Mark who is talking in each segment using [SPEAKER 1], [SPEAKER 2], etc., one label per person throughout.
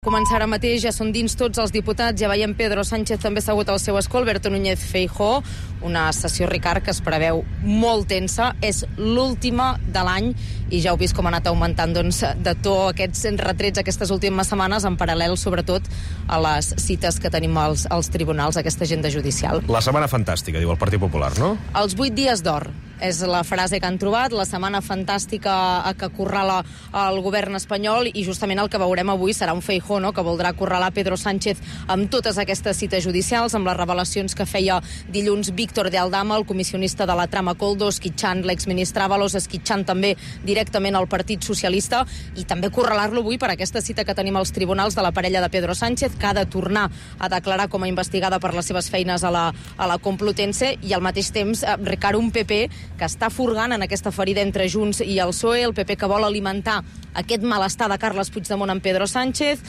[SPEAKER 1] Començar ara mateix, ja són dins tots els diputats, ja veiem Pedro Sánchez també assegut al seu escó, Alberto Núñez Feijóo, una sessió, Ricard, que es preveu molt tensa, és l'última de l'any i ja heu vist com ha anat augmentant de to aquests retrets aquestes últimes setmanes, en paral·lel sobretot a les cites que tenim als tribunals, aquesta agenda judicial.
[SPEAKER 2] La setmana fantàstica, diu el Partit Popular, no?
[SPEAKER 1] Els 8 dies d'or és la frase que han trobat, la setmana fantàstica que acorrala el govern espanyol, i justament el que veurem avui serà un Feijóo, no?, que voldrà acorralar Pedro Sánchez amb totes aquestes cites judicials, amb les revelacions que feia dilluns Víctor de Aldama, el comissionista de la trama Koldo, esquitxant l'exministre Ábalos, esquitxant també directament el Partit Socialista, i també acorralar-lo avui per aquesta cita que tenim als tribunals de la parella de Pedro Sánchez, que ha de tornar a declarar com a investigada per les seves feines a la Complutense, i al mateix temps, Ricard, un PP que està furgant en aquesta ferida entre Junts i el PSOE, el PP que vol alimentar aquest malestar de Carles Puigdemont amb Pedro Sánchez.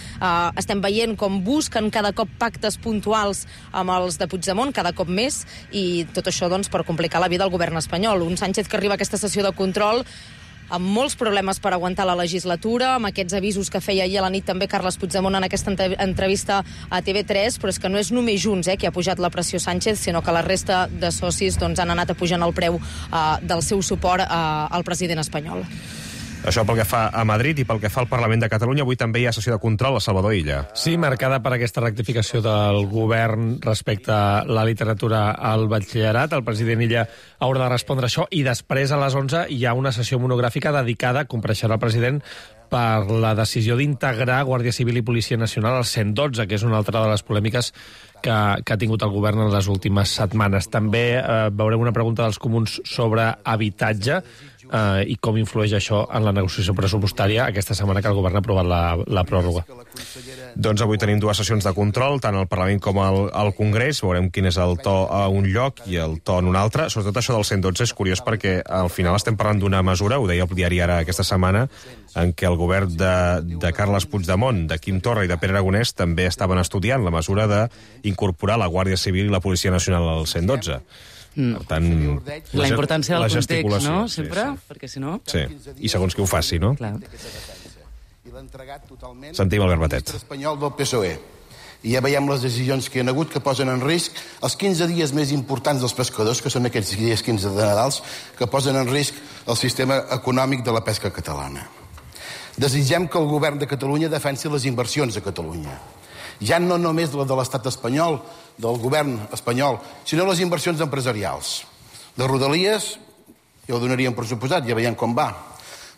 [SPEAKER 1] Estem veient com busquen cada cop pactes puntuals amb els de Puigdemont, cada cop més, i tot això doncs, per complicar la vida al govern espanyol. Un Sánchez que arriba a aquesta sessió de control amb molts problemes per aguantar la legislatura, amb aquests avisos que feia ahir a la nit també Carles Puigdemont en aquesta entrevista a TV3, però és que no és només Junts que ha pujat la pressió Sánchez, sinó que la resta de socis han anat apujant el preu del seu suport al president espanyol.
[SPEAKER 2] Això pel que fa a Madrid, i pel que fa al Parlament de Catalunya, avui també hi ha sessió de control a Salvador Illa.
[SPEAKER 3] Sí, marcada per aquesta rectificació del govern respecte a la literatura al batxillerat. El president Illa haurà de respondre això, i després a les 11 hi ha una sessió monogràfica dedicada, compareixerà el president, per la decisió d'integrar Guàrdia Civil i Policia Nacional al 112, que és una altra de les polèmiques que ha tingut el govern en les últimes setmanes. També veurem una pregunta dels comuns sobre habitatge i com influeix això en la negociació pressupostària aquesta setmana que el govern ha aprovat la pròrroga.
[SPEAKER 2] Doncs avui tenim dues sessions de control, tant al Parlament com al Congrés. Veurem quin és el to a un lloc i el to en un altre. Sobretot això del 112 és curiós perquè al final estem parlant d'una mesura, ho deia el diari Ara aquesta setmana, en què el govern de Carles Puigdemont, de Quim Torra i de Pere Aragonès també estaven estudiant la mesura d'incorporar la Guàrdia Civil i la Policia Nacional al 112. Per tant,
[SPEAKER 4] la importància del context, no?
[SPEAKER 2] Sí,
[SPEAKER 4] sempre,
[SPEAKER 2] sí.
[SPEAKER 4] perquè si no...
[SPEAKER 2] Sí, i segons qui ho faci, no?
[SPEAKER 4] Clar.
[SPEAKER 2] Sentim Albert Batet.
[SPEAKER 5] Espanyol del PSOE. I ja veiem les decisions que hi ha hagut que posen en risc els 15 dies més importants dels pescadors, que són aquests dies 15 de Nadals, que posen en risc el sistema econòmic de la pesca catalana. Desitgem que el govern de Catalunya defensi les inversions a Catalunya. Ja no només la de l'estat espanyol, del govern espanyol, sinó les inversions empresarials. De Rodalies, ja ho donaríem per suposat, ja veiem com va.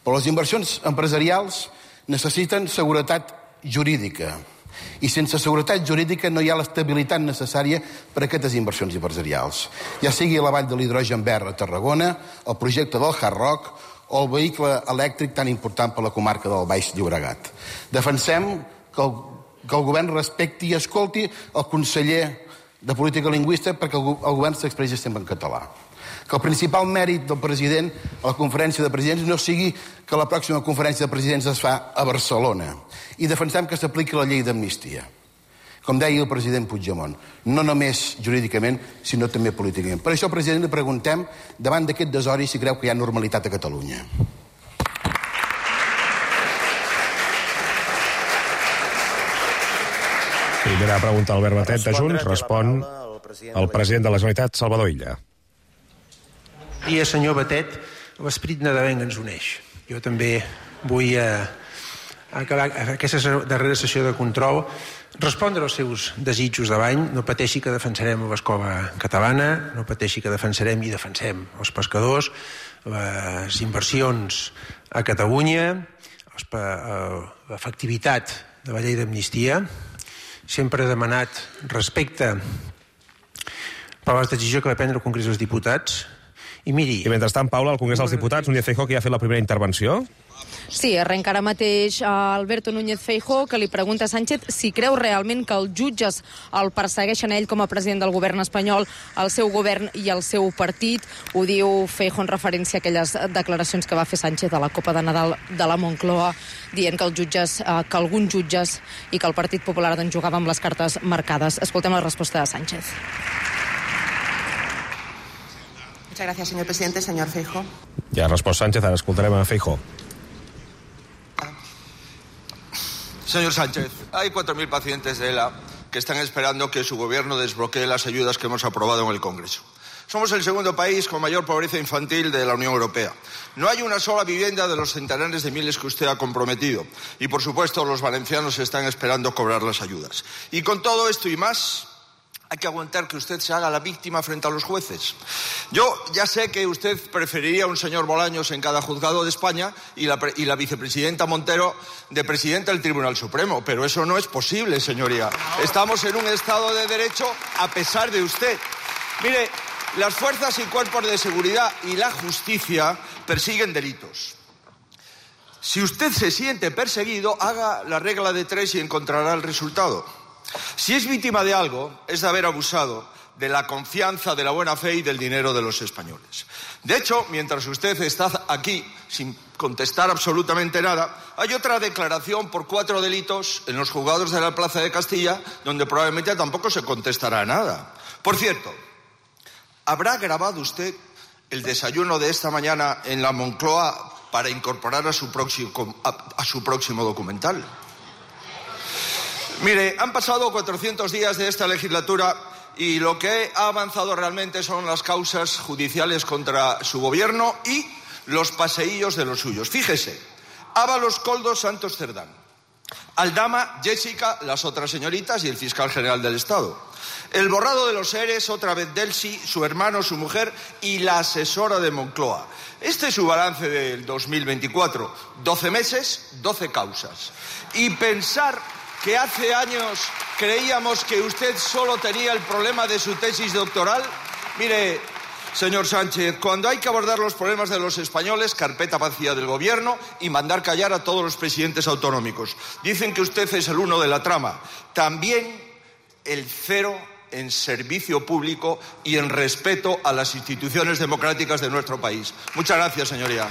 [SPEAKER 5] Però les inversions empresarials necessiten seguretat jurídica. I sense seguretat jurídica no hi ha l'estabilitat necessària per a aquestes inversions empresarials. Ja sigui la vall de l'hidrogen verd a Tarragona, el projecte del Hard Rock o el vehicle elèctric tan important per la comarca del Baix Llobregat. Defensem que el govern respecti i escolti el conseller de Política Lingüística perquè el govern s'expressi sempre en català. Que el principal mèrit del president a la conferència de presidents no sigui que la pròxima conferència de presidents es fa a Barcelona. I defensem que s'apliqui la llei d'amnistia. Com deia el president Puigdemont, no només jurídicament, sinó també políticament. Per això, president, li preguntem, davant d'aquest desori, si creu que hi ha normalitat a Catalunya.
[SPEAKER 2] Primera pregunta a Albert Batet de Junts, respon el president de la Generalitat, Salvador Illa.
[SPEAKER 6] Dia, senyor Batet, l'esperit nadalenc ens uneix. Jo també vull acabar aquesta darrera sessió de control, respondre als seus desitjos de l'any. No pateixi que defensarem l'escola catalana, no pateixi que defensarem i defensem els pescadors, les inversions a Catalunya, l'efectivitat de la llei d'amnistia. Sempre he demanat respecte per la decisió que va prendre el Congrés dels Diputats. I miri...
[SPEAKER 2] I mentrestant, Paula, al Congrés dels Diputats, Núñez Feijóo, que ja ha fet la primera intervenció.
[SPEAKER 1] Sí, arrenca ara mateix Alberto Núñez Feijóo, que li pregunta a Sánchez si creu realment que els jutges el persegueixen a ell com a president del govern espanyol, el seu govern i el seu partit. Ho diu Feijóo en referència a aquelles declaracions que va fer Sánchez a la Copa de Nadal de la Moncloa, dient que els jutges, que alguns jutges i que el Partit Popular jugava amb les cartes marcades. Escoltem la resposta de Sánchez.
[SPEAKER 7] Muchas gracias, señor presidente. Señor Feijóo.
[SPEAKER 2] Ja ha respost Sánchez, ara escoltarem a Feijóo.
[SPEAKER 8] Señor Sánchez, hay 4.000 pacientes de ELA que están esperando que su gobierno desbloquee las ayudas que hemos aprobado en el Congreso. Somos el segundo país con mayor pobreza infantil de la Unión Europea. No hay una sola vivienda de los centenares de miles que usted ha comprometido. Y, por supuesto, los valencianos están esperando cobrar las ayudas. Y con todo esto y más, hay que aguantar que usted se haga la víctima frente a los jueces. Yo ya sé que usted preferiría un señor Bolaños en cada juzgado de España y la vicepresidenta Montero de presidenta del Tribunal Supremo, pero eso no es posible, señoría. Estamos en un Estado de Derecho a pesar de usted. Mire, las fuerzas y cuerpos de seguridad y la justicia persiguen delitos. Si usted se siente perseguido, haga la regla de 3 y encontrará el resultado. Si es víctima de algo, es de haber abusado de la confianza, de la buena fe y del dinero de los españoles. De hecho, mientras usted está aquí sin contestar absolutamente nada, hay otra declaración por 4 delitos en los juzgados de la Plaza de Castilla, donde probablemente tampoco se contestará nada. Por cierto, ¿habrá grabado usted el desayuno de esta mañana en la Moncloa para incorporar a su próximo documental? Mire, han pasado 400 días de esta legislatura y lo que ha avanzado realmente son las causas judiciales contra su gobierno y los paseillos de los suyos. Fíjese, Ábalos, Koldo, Santos, Cerdán, Aldama, Jessica, las otras señoritas y el fiscal general del Estado. El borrado de los ERES, otra vez Delcy, su hermano, su mujer y la asesora de Moncloa. Este es su balance del 2024. 12 meses, 12 causas. Y pensar que hace años creíamos que usted solo tenía el problema de su tesis doctoral. Mire, señor Sánchez, cuando hay que abordar los problemas de los españoles, carpeta vacía del gobierno y mandar callar a todos los presidentes autonómicos. Dicen que usted es el uno de la trama. También el 0 en servicio público y en respeto a las instituciones democràtiques de nuestro país. Muchas gracias, señoría.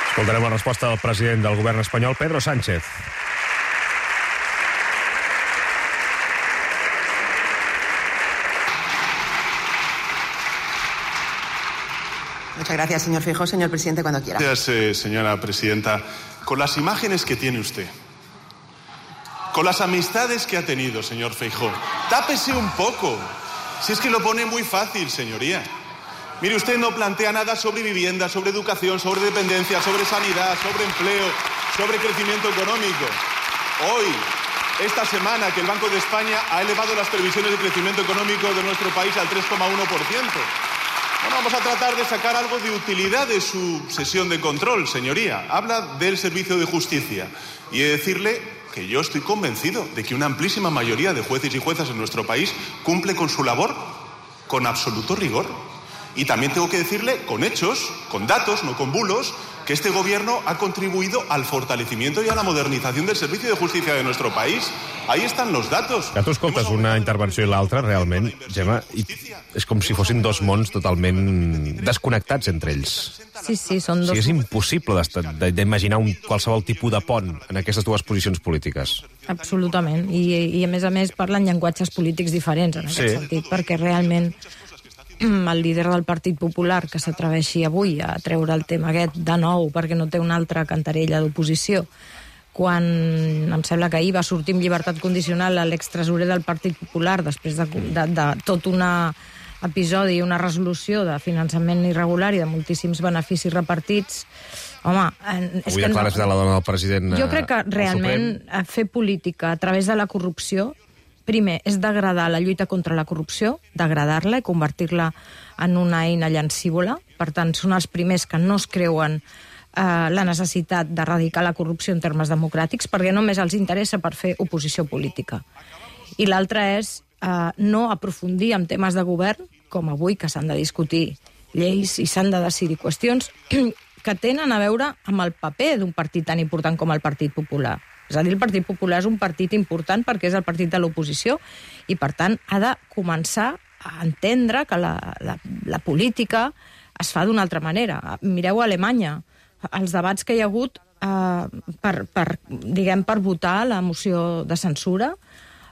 [SPEAKER 2] Escoltarem la resposta del president del govern espanyol, Pedro Sánchez.
[SPEAKER 7] Muchas gracias, señor Feijóo. Señor presidente, cuando quiera.
[SPEAKER 9] Gracias, señora presidenta. Con las imágenes que tiene usted, con las amistades que ha tenido, señor Feijóo, tápese un poco. Si es que lo pone muy fácil, señoría. Mire, usted no plantea nada sobre vivienda, sobre educación, sobre dependencia, sobre sanidad, sobre empleo, sobre crecimiento económico. Hoy, esta semana, que el Banco de España ha elevado las previsiones de crecimiento económico de nuestro país al 3,1%. Bueno, vamos a tratar de sacar algo de utilidad de su sesión de control, señoría. Habla del servicio de justicia. Y he de decirle que yo estoy convencido de que una amplísima mayoría de jueces y juezas en nuestro país cumple con su labor con absoluto rigor. Y también tengo que decirle, con hechos, con datos, no con bulos, que este gobierno ha contribuido al fortalecimiento y a la modernización del servicio de justicia de nuestro país. Ahí están los datos.
[SPEAKER 2] Que tu escoltes una intervenció i l'altra, realment, Gemma, i és com si fossin dos mons totalment desconnectats entre ells.
[SPEAKER 1] Sí, sí, són dos...
[SPEAKER 2] O sigui, és impossible d'imaginar qualsevol tipus de pont en aquestes dues posicions polítiques.
[SPEAKER 1] Absolutament. I a més, parlen llenguatges polítics diferents en aquest sentit, perquè realment el líder del Partit Popular que s'atreveixi avui a treure el tema aquest de nou perquè no té una altra cantarella d'oposició, quan em sembla que ahir va sortir amb llibertat condicional a l'extresorer del Partit Popular després de tot un episodi i una resolució de finançament irregular i de moltíssims beneficis repartits. Home,
[SPEAKER 2] avui declares de la dona del president.
[SPEAKER 1] Jo crec que realment fer política a través de la corrupció, primer, és degradar la lluita contra la corrupció, degradar-la i convertir-la en una eina llancívola. Per tant, són els primers que no es creuen la necessitat d'erradicar la corrupció en termes democràtics, perquè només els interessa per fer oposició política. I l'altre és no aprofundir en temes de govern, com avui, que s'han de discutir lleis i s'han de decidir qüestions que tenen a veure amb el paper d'un partit tan important com el Partit Popular. És a dir, el Partit Popular és un partit important perquè és el partit de l'oposició i, per tant, ha de començar a entendre que la política es fa d'una altra manera. Mireu a Alemanya, els debats que hi ha hagut per votar la moció de censura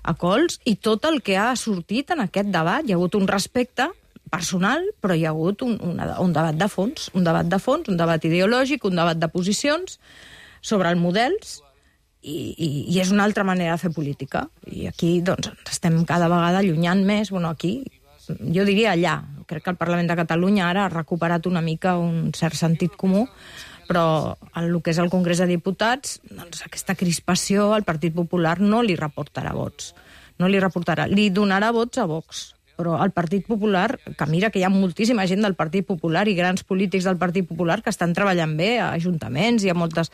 [SPEAKER 1] a cols i tot el que ha sortit en aquest debat. Hi ha hagut un respecte personal, però hi ha hagut un debat de fons, un debat ideològic, un debat de posicions sobre els models
[SPEAKER 10] i és una altra manera de fer política. I aquí doncs, estem cada vegada allunyant més, aquí, jo diria allà. Crec que el Parlament de Catalunya ara ha recuperat una mica un cert sentit comú, però el que és el Congrés de Diputats, doncs aquesta crispació al Partit Popular no li reportarà vots. No li reportarà. Li donarà vots a Vox. Però el Partit Popular, que mira que hi ha moltíssima gent del Partit Popular i grans polítics del Partit Popular que estan treballant bé a ajuntaments i a moltes...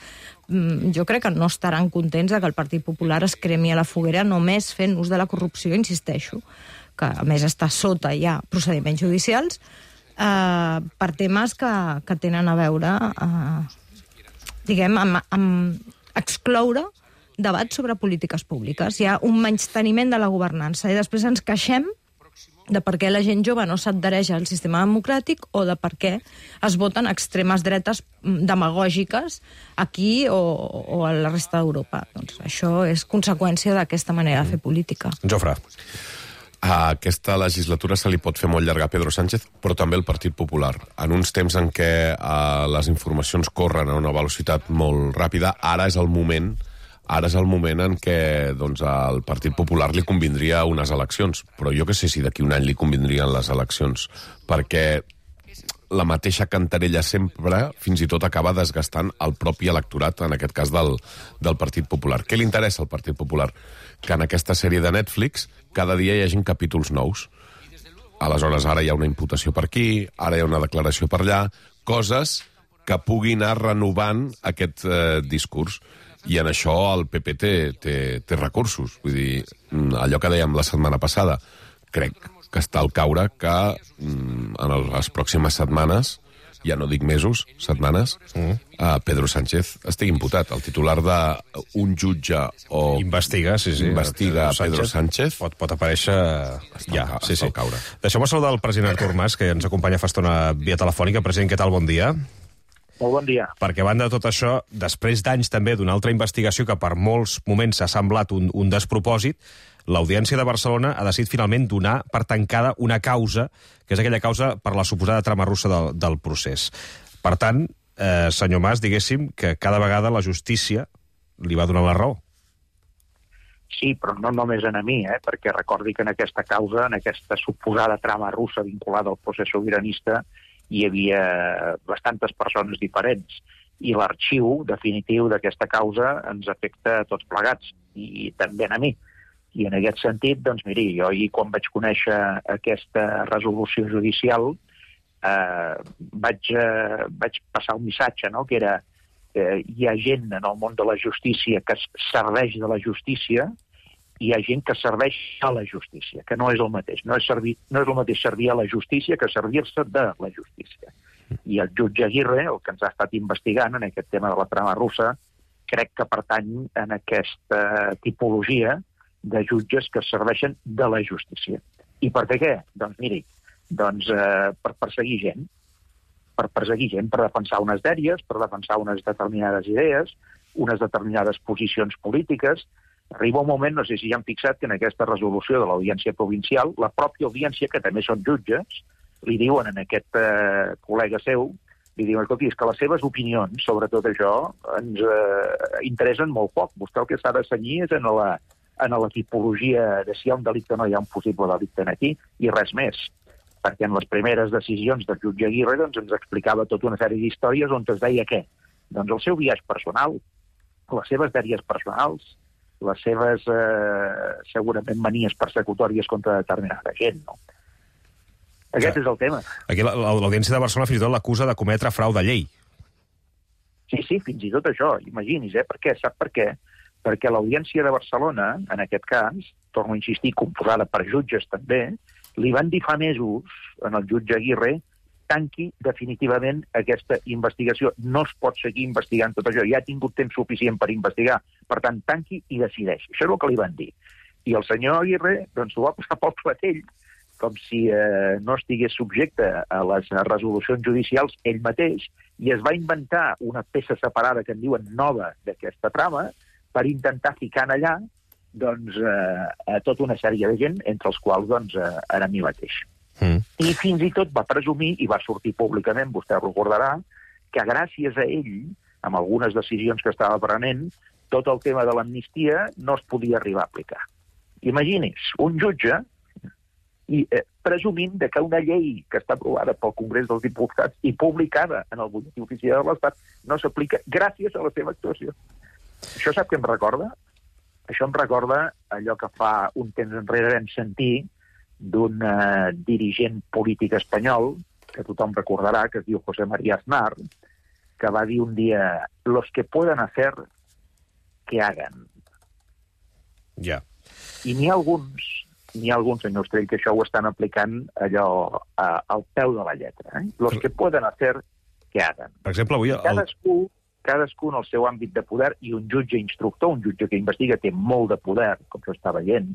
[SPEAKER 10] Jo crec que no estaran contents que el Partit Popular es cremi a la foguera només fent ús de la corrupció, insisteixo, que a més està sota ja procediments judicials, per temes que tenen a veure, diguem, amb excloure debats sobre polítiques públiques. Hi ha un menysteniment de la governança i després ens queixem de per què la gent jove no s'adhereix al sistema democràtic o de per què es voten extremes dretes demagògiques aquí o a la resta d'Europa. Doncs això és conseqüència d'aquesta manera de fer política.
[SPEAKER 2] Jofre.
[SPEAKER 11] A aquesta legislatura se li pot fer molt llarga a Pedro Sánchez, però també al Partit Popular. En uns temps en què les informacions corren a una velocitat molt ràpida, ara és el moment en què doncs, al Partit Popular li convindria unes eleccions, però jo que sé si d'aquí un any li convindrien les eleccions, perquè la mateixa cantarella sempre fins i tot acaba desgastant el propi electorat, en aquest cas del Partit Popular. Què li interessa al Partit Popular? Que en aquesta sèrie de Netflix cada dia hi hagin capítols nous. Aleshores, ara hi ha una imputació per aquí, ara hi ha una declaració per allà, coses que puguin anar renovant aquest discurs. I en això el PP té recursos. Vull dir, allò que dèiem la setmana passada, crec que està al caure que en les pròximes setmanes, ja no dic mesos, setmanes, Pedro Sánchez estigui imputat. El titular d'un jutge o...
[SPEAKER 2] Investiga
[SPEAKER 11] Pedro Sánchez.
[SPEAKER 2] Pot aparèixer
[SPEAKER 11] està al caure.
[SPEAKER 2] Deixeu-me saludar el president Artur Mas, que ens acompanya fa estona via telefònica. President, què tal? Bon dia.
[SPEAKER 12] Molt bon dia.
[SPEAKER 2] Perquè a banda de tot això, després d'anys també d'una altra investigació que per molts moments s'ha semblat un despropòsit, l'Audiència de Barcelona ha decidit finalment donar per tancada una causa, que és aquella causa per la suposada trama russa del procés. Per tant, senyor Mas, diguéssim que cada vegada la justícia li va donar la raó.
[SPEAKER 12] Sí, però no només a mi, perquè recordi que en aquesta causa, en aquesta suposada trama russa vinculada al procés sobiranista, hi havia bastantes persones diferents i l'arxiu definitiu d'aquesta causa ens afecta a tots plegats i també a mi. I en aquest sentit, doncs miri, jo ahir quan vaig conèixer aquesta resolució judicial vaig passar un missatge, no?, que era hi ha gent en el món de la justícia que serveix de la justícia i hi ha gent que serveix a la justícia, que no és el mateix. No és el mateix servir a la justícia que servir-se de la justícia. I el jutge Aguirre, el que ens ha estat investigant en aquest tema de la trama russa, crec que pertany en aquesta tipologia de jutges que serveixen de la justícia. I per què? Doncs miri, per perseguir gent. Per defensar unes dèries, per defensar unes determinades idees, unes determinades posicions polítiques. Arriba un moment, no sé si ja han fixat, que en aquesta resolució de l'Audiència Provincial, la pròpia audiència, que també són jutges, li diuen a aquest col·lega seu, li diuen, escolti, és que les seves opinions sobre tot això ens interessen molt poc. Vostè el que s'ha de cenyir és en la tipologia de si hi ha un delicte o no hi ha un possible delicte aquí, i res més. Perquè en les primeres decisions del jutge Aguirre doncs, ens explicava tota una sèrie d'històries on es deia què? Doncs el seu viatge personal, les seves dèries personals, les seves, segurament, manies persecutòries contra determinada gent, no? Aquest és el tema.
[SPEAKER 2] Aquí l'Audiència de Barcelona fins i tot l'acusa de cometre frau de llei.
[SPEAKER 12] Sí, fins i tot això, imagini's, Per què? Sap per què? Perquè l'Audiència de Barcelona, en aquest cas, torno a insistir, composada per jutges també, li van dir fa mesos, en el jutge Aguirre, tanqui definitivament aquesta investigació. No es pot seguir investigant tot això. Ja ha tingut temps suficient per investigar. Per tant, tanqui i decideix. Això és el que li van dir. I el senyor Aguirre doncs, ho va posar pel clatell, com si no estigués subjecte a les resolucions judicials ell mateix, i es va inventar una peça separada que en diuen nova d'aquesta trama per intentar ficar allà doncs, a tota una sèrie de gent, entre els quals doncs, era mi mateix. I fins i tot va presumir, i va sortir públicament, vostè recordarà, que gràcies a ell, amb algunes decisions que estava prenent, tot el tema de l'amnistia no es podia arribar a aplicar. Imagini's, un jutge presumint que una llei que està aprovada pel Congrés dels Diputats i publicada en el Butlletí Oficial de l'Estat no s'aplica gràcies a la seva actuació. Això sap què em recorda? Això em recorda allò que fa un temps enrere vam sentir d'un dirigent polític espanyol, que tothom recordarà, que es diu José María Aznar, que va dir un dia: los que puedan hacer, que hagan.
[SPEAKER 2] Ja.
[SPEAKER 12] I n'hi ha alguns, senyor Ostrell, que això ho estan aplicant allò al peu de la lletra. Los que pueden hacer, que hagan.
[SPEAKER 2] Per exemple, avui...
[SPEAKER 12] Cadascú en el seu àmbit de poder, i un jutge instructor, un jutge que investiga, té molt de poder, com s'està veient,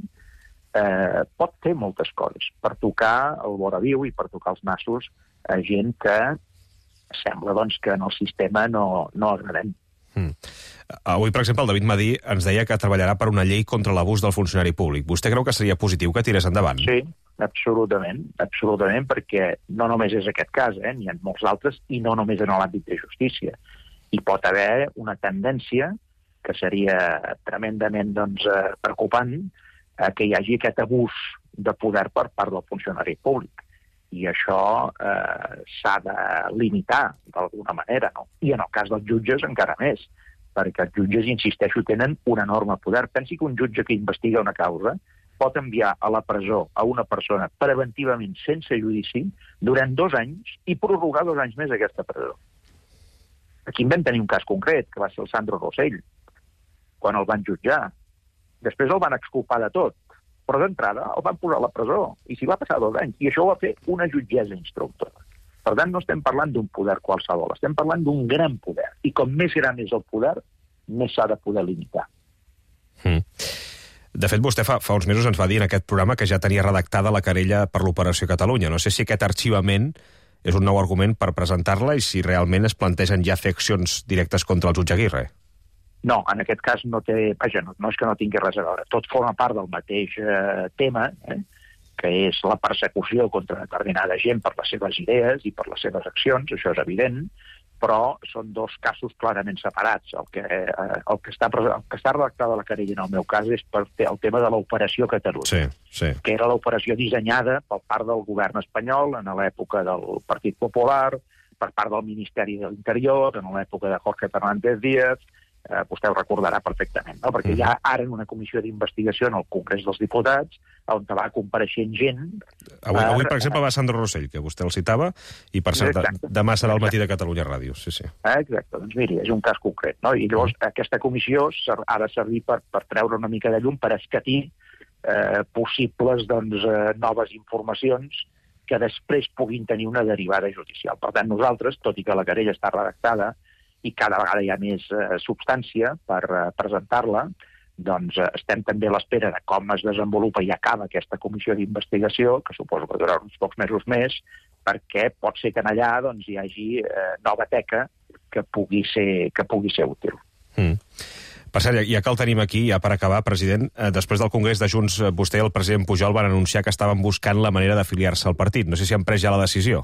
[SPEAKER 12] pot fer moltes coses per tocar el voraviu i per tocar els nassos a gent que sembla doncs, que en el sistema no agradem.
[SPEAKER 2] Avui, per exemple, el David Madí ens deia que treballarà per una llei contra l'abús del funcionari públic. Vostè creu que seria positiu que tirés endavant?
[SPEAKER 12] Sí, absolutament, perquè no només és aquest cas, n'hi ha molts altres, i no només en l'àmbit de justícia. Hi pot haver una tendència que seria tremendament preocupant que hi hagi aquest abús de poder per part del funcionari públic. I això s'ha de limitar d'alguna manera, no? I en el cas dels jutges encara més, perquè els jutges, insisteixo, tenen un enorme poder. Pensi que un jutge que investiga una causa pot enviar a la presó a una persona preventivament sense judici durant 2 anys i prorrogar 2 anys més aquesta presó. Aquí en vam tenir un cas concret, que va ser el Sandro Rosell, quan el van jutjar. Després el van exculpar de tot, però d'entrada el van posar a la presó, i s'hi va passar 2 anys, i això ho va fer una jutgessa instructora. Per tant, no estem parlant d'un poder qualsevol, estem parlant d'un gran poder, i com més gran és el poder, més s'ha de poder limitar.
[SPEAKER 2] De fet, vostè fa uns mesos ens va dir en aquest programa que ja tenia redactada la querella per l'Operació Catalunya. No sé si aquest arxivament és un nou argument per presentar-la i si realment es plantegen ja fer accions directes contra el jutge Aguirre.
[SPEAKER 12] No, en aquest cas no té... Vaja, no és que no tingui res a veure. Tot forma part del mateix tema, que és la persecució contra determinada gent per les seves idees i per les seves accions, això és evident, però són 2 casos clarament separats. El que està redactada a la querella en el meu cas és per el tema de l'Operació Catalunya, que era l'operació dissenyada per part del govern espanyol en l'època del Partit Popular, per part del Ministeri de l'Interior, en l'època de Jorge Fernández Díaz. Vostè ho recordarà perfectament, no? Perquè ja ara en una comissió d'investigació en el Congrés dels Diputats, on va compareixent gent...
[SPEAKER 2] Avui, per exemple, va Sandro Rosell, que vostè el citava, i per cert, demà serà al matí de Catalunya Ràdio. Sí.
[SPEAKER 12] Exacte, doncs miri, és un cas concret, no? I llavors aquesta comissió ha de servir per treure una mica de llum, per escatir possibles noves informacions que després puguin tenir una derivada judicial. Per tant, nosaltres, tot i que la querella està redactada, i cada vegada hi ha més substància per presentar-la, doncs estem també a l'espera de com es desenvolupa i acaba aquesta comissió d'investigació, que suposo que durarà uns pocs mesos més, perquè pot ser que allà hi hagi nova teca que pugui ser útil.
[SPEAKER 2] Per cert, ja que el tenim aquí, ja per acabar, president, després del Congrés de Junts, vostè i el president Pujol van anunciar que estaven buscant la manera d'afiliar-se al partit. No sé si han pres ja la decisió.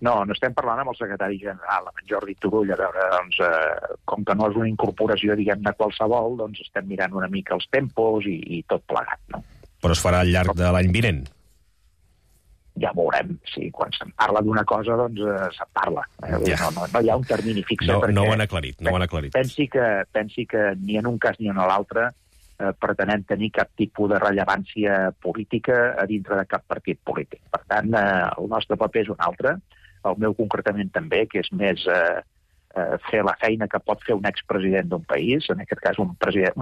[SPEAKER 12] No estem parlant amb el secretari general, amb en Jordi Turull, a veure, com que no és una incorporació, diguem-ne, qualsevol, doncs estem mirant una mica els tempos i tot plegat, no?
[SPEAKER 2] Però es farà al llarg de l'any vinent?
[SPEAKER 12] Ja veurem, sí, quan se'n parla d'una cosa, doncs se'n parla. No hi ha un termini fix.
[SPEAKER 2] No ho han aclarit,
[SPEAKER 12] Pensi que ni en un cas ni en l'altre pretenem tenir cap tipus de rellevància política a dintre de cap partit polític. Per tant, el nostre paper és un altre, el meu concretament també, que és més fer la feina que pot fer un expresident d'un país, en aquest cas un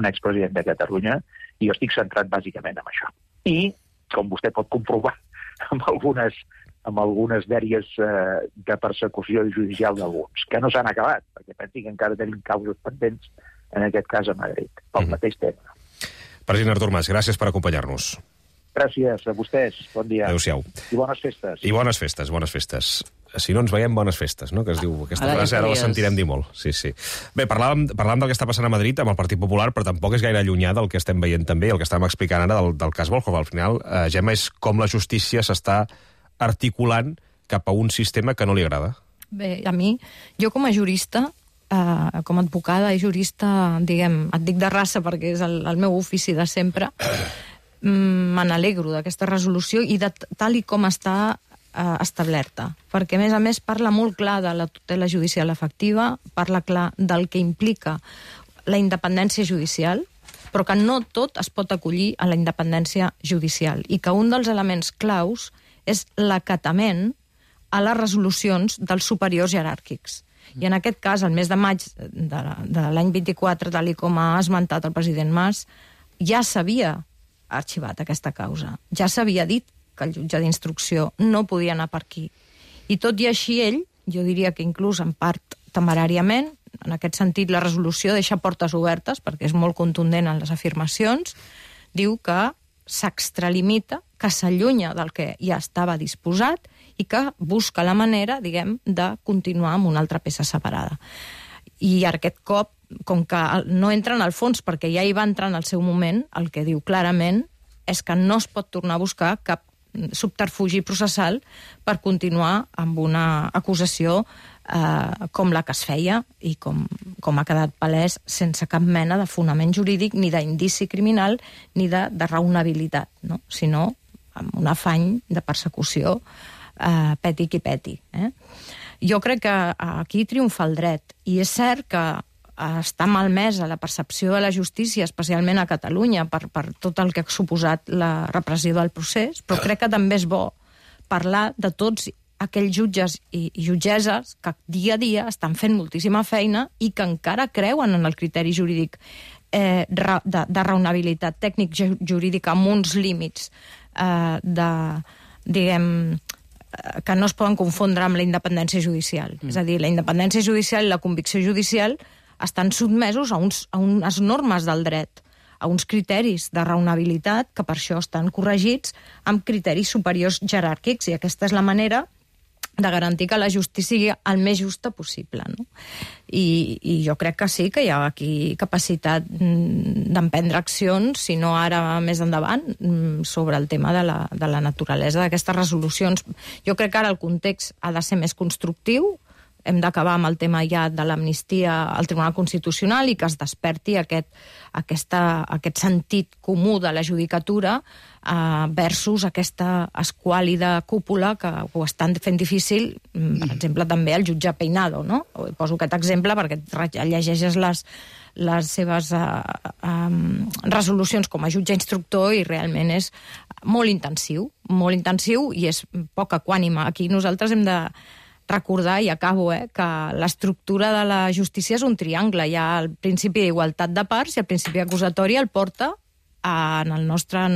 [SPEAKER 12] expresident de Catalunya, i jo estic centrat bàsicament en això. I, com vostè pot comprovar, amb algunes dèries de persecució judicial d'alguns, que no s'han acabat, perquè pensi que encara tenim causes pendents, en aquest cas a Madrid, pel mateix tema.
[SPEAKER 2] President Artur Mas, gràcies per acompanyar-nos.
[SPEAKER 12] Gràcies a vostès, bon dia.
[SPEAKER 2] Adéu-siau.
[SPEAKER 12] I bones festes.
[SPEAKER 2] I bones festes. Si no ens veiem, bones festes, no? Que es diu, aquesta frase ara la sentirem dir molt. Sí. Bé, parlàvem del que està passant a Madrid amb el Partit Popular, però tampoc és gaire allunyà del que estem veient també, el que estàvem explicant ara del cas Volhov. Al final, Gemma, és com la justícia s'està articulant cap a un sistema que no li agrada.
[SPEAKER 10] Bé, a mi, jo com a jurista, com a advocada i jurista, diguem, et dic de raça perquè és el meu ofici de sempre, me n'alegro d'aquesta resolució i de tal i com està establerta, perquè a més parla molt clar de la tutela judicial efectiva, parla clar del que implica la independència judicial, però que no tot es pot acollir a la independència judicial i que un dels elements claus és l'acatament a les resolucions dels superiors jeràrquics. I en aquest cas, el mes de maig de l'any 24, tal com ha esmentat el president Mas, ja s'havia arxivat aquesta causa. Ja s'havia dit que el jutge d'instrucció no podia anar per aquí. I tot i així ell, jo diria que inclús en part temeràriament, en aquest sentit la resolució deixa portes obertes, perquè és molt contundent en les afirmacions, diu que s'extralimita, que s'allunya del que ja estava disposat i que busca la manera, diguem, de continuar amb una altra peça separada. I aquest cop, com que no entra en el fons, perquè ja hi va entrar en el seu moment, el que diu clarament és que no es pot tornar a buscar cap subterfugi processal per continuar amb una acusació com la que es feia i com ha quedat palès sense cap mena de fonament jurídic ni d'indici criminal ni de raonabilitat, no? Sinó amb un afany de persecució peti qui peti. Jo crec que aquí triomfa el dret i és cert que està malmesa la percepció de la justícia, especialment a Catalunya, per tot el que ha suposat la repressió del procés, però crec que també és bo parlar de tots aquells jutges i jutgesses que dia a dia estan fent moltíssima feina i que encara creuen en el criteri jurídic de raonabilitat tècnic-jurídica amb uns límits diguem, que no es poden confondre amb la independència judicial. És a dir, la independència judicial i la convicció judicial estan sotmesos a unes normes del dret, a uns criteris de raonabilitat que per això estan corregits amb criteris superiors jeràrquics i aquesta és la manera de garantir que la justícia sigui el més justa possible. No? I jo crec que sí, que hi ha aquí capacitat d'emprendre accions, si no ara més endavant, sobre el tema de la naturalesa d'aquestes resolucions. Jo crec que ara el context ha de ser més constructiu, hem d'acabar amb el tema ja de l'amnistia al Tribunal Constitucional i que es desperti aquest sentit comú de la judicatura versus aquesta esquàlida cúpula que ho estan fent difícil, per exemple, també el jutge Peinado, no? Poso aquest exemple perquè llegeixes les seves resolucions com a jutge instructor i realment és molt intensiu i és poc equànime. Aquí nosaltres hem de recordar, i acabo, que l'estructura de la justícia és un triangle. Hi ha el principi d'igualtat de parts i el principi acusatori el porta en el nostre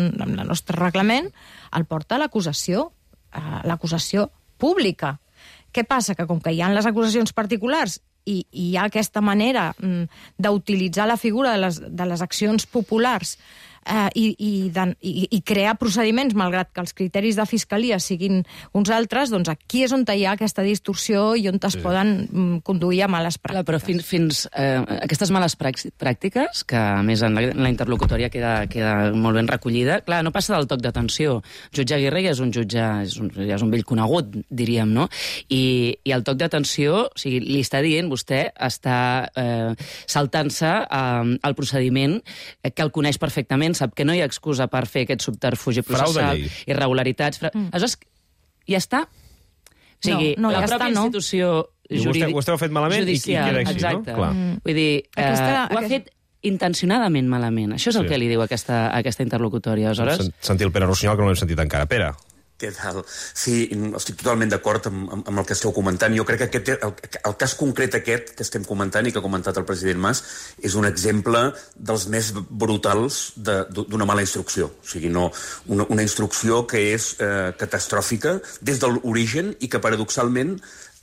[SPEAKER 10] reglament, el porta a l'acusació pública. Què passa? Que com que hi ha les acusacions particulars i hi ha aquesta manera d'utilitzar la figura de les accions populars i crear procediments, malgrat que els criteris de fiscalia siguin uns altres, doncs aquí és on hi ha aquesta distorsió i on es poden conduir a males pràctiques.
[SPEAKER 4] Però fins aquestes males pràctiques, que a més en la interlocutòria queda molt ben recollida, clar, no passa del toc d'atenció. Jutge Aguirre ja és un jutge, ja és un vell conegut, diríem, no? I el toc d'atenció, o sigui, li està dient, vostè està saltant-se al procediment que el coneix perfectament, sap que no hi ha excusa per fer aquest subterfugi processal, irregularitats... Aleshores, ja està? O sigui, la pròpia institució jurídica...
[SPEAKER 2] Vostè ho ha fet malament i queda així, no?
[SPEAKER 4] Exacte. Vull dir, ho ha fet intencionadament malament. Això és el que li diu aquesta interlocutòria.
[SPEAKER 2] Sentir el Pere Rossinyol, que no l'hem sentit encara. Pere.
[SPEAKER 13] Què tal? Sí, estic totalment d'acord amb el que esteu comentant. Jo crec que el cas concret aquest que estem comentant i que ha comentat el president Mas és un exemple dels més brutals d'una mala instrucció. O sigui, una instrucció que és catastròfica des de l'origen i que paradoxalment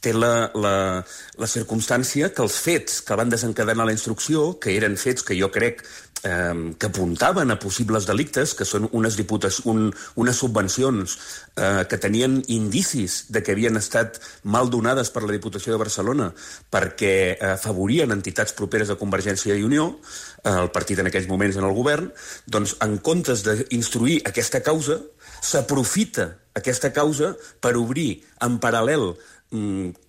[SPEAKER 13] té la circumstància que els fets que van desencadenar la instrucció, que eren fets que jo crec que apuntaven a possibles delictes, que són unes subvencions que tenien indicis de que havien estat mal donades per la Diputació de Barcelona perquè afavorien entitats properes a Convergència i Unió, el partit en aquells moments en el govern, doncs en comptes d'instruir aquesta causa, s'aprofita aquesta causa per obrir en paral·lel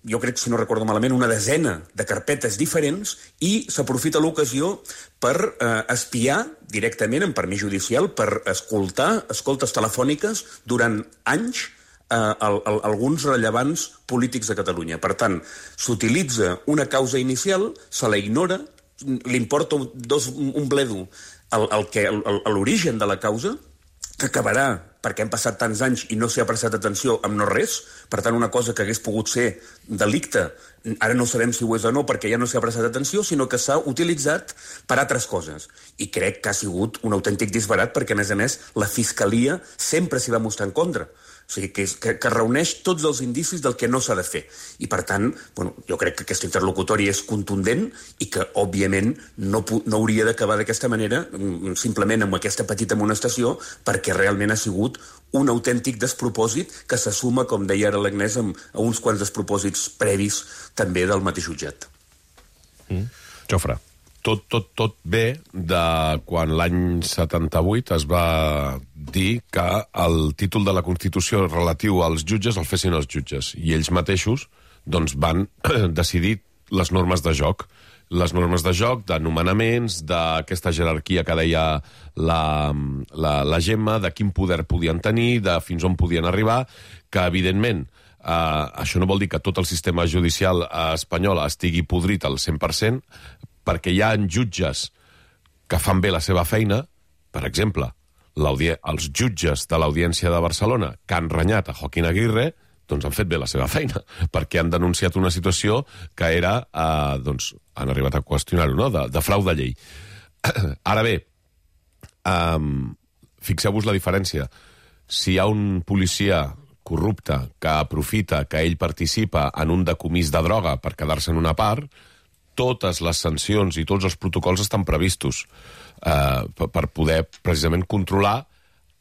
[SPEAKER 13] jo crec, si no recordo malament, una desena de carpetes diferents i s'aprofita l'ocasió per espiar directament, en permís judicial, per escoltar escoltes telefòniques durant anys alguns rellevants polítics de Catalunya. Per tant, s'utilitza una causa inicial, se la ignora, li importa un bledo l'origen de la causa, que acabarà perquè han passat tants anys i no s'hi ha prestat atenció amb no res. Per tant, una cosa que hagués pogut ser delicte, ara no sabem si ho és o no perquè ja no s'hi ha prestat atenció, sinó que s'ha utilitzat per altres coses. I crec que ha sigut un autèntic disbarat perquè, a més, la Fiscalia sempre s'hi va mostrar en contra. O sigui, que reuneix tots els indicis del que no s'ha de fer. I, per tant, jo crec que aquesta interlocutòria és contundent i que, òbviament, no hauria d'acabar d'aquesta manera, simplement amb aquesta petita amonestació, perquè realment ha sigut un autèntic despropòsit que se suma, com deia ara l'Agnès, a uns quants despropòsits previs també del mateix jutjat.
[SPEAKER 2] Jofre.
[SPEAKER 11] Tot ve de quan l'any 78 es va dir que el títol de la Constitució relatiu als jutges el fessin els jutges, i ells mateixos van decidir les normes de joc. Les normes de joc, de nomenaments, d'aquesta jerarquia que deia la Gemma, de quin poder podien tenir, de fins on podien arribar, que, evidentment, això no vol dir que tot el sistema judicial espanyol estigui podrit al 100%, perquè hi ha jutges que fan bé la seva feina. Per exemple, els jutges de l'Audiència de Barcelona que han renyat a Joaquín Aguirre, han fet bé la seva feina, perquè han denunciat una situació que era, han arribat a qüestionar-ho, no?, de frau de llei. Ara bé, fixeu-vos la diferència. Si hi ha un policia corrupte que aprofita que ell participa en un decomís de droga per quedar-se en una part, totes les sancions i tots els protocols estan previstos per poder precisament controlar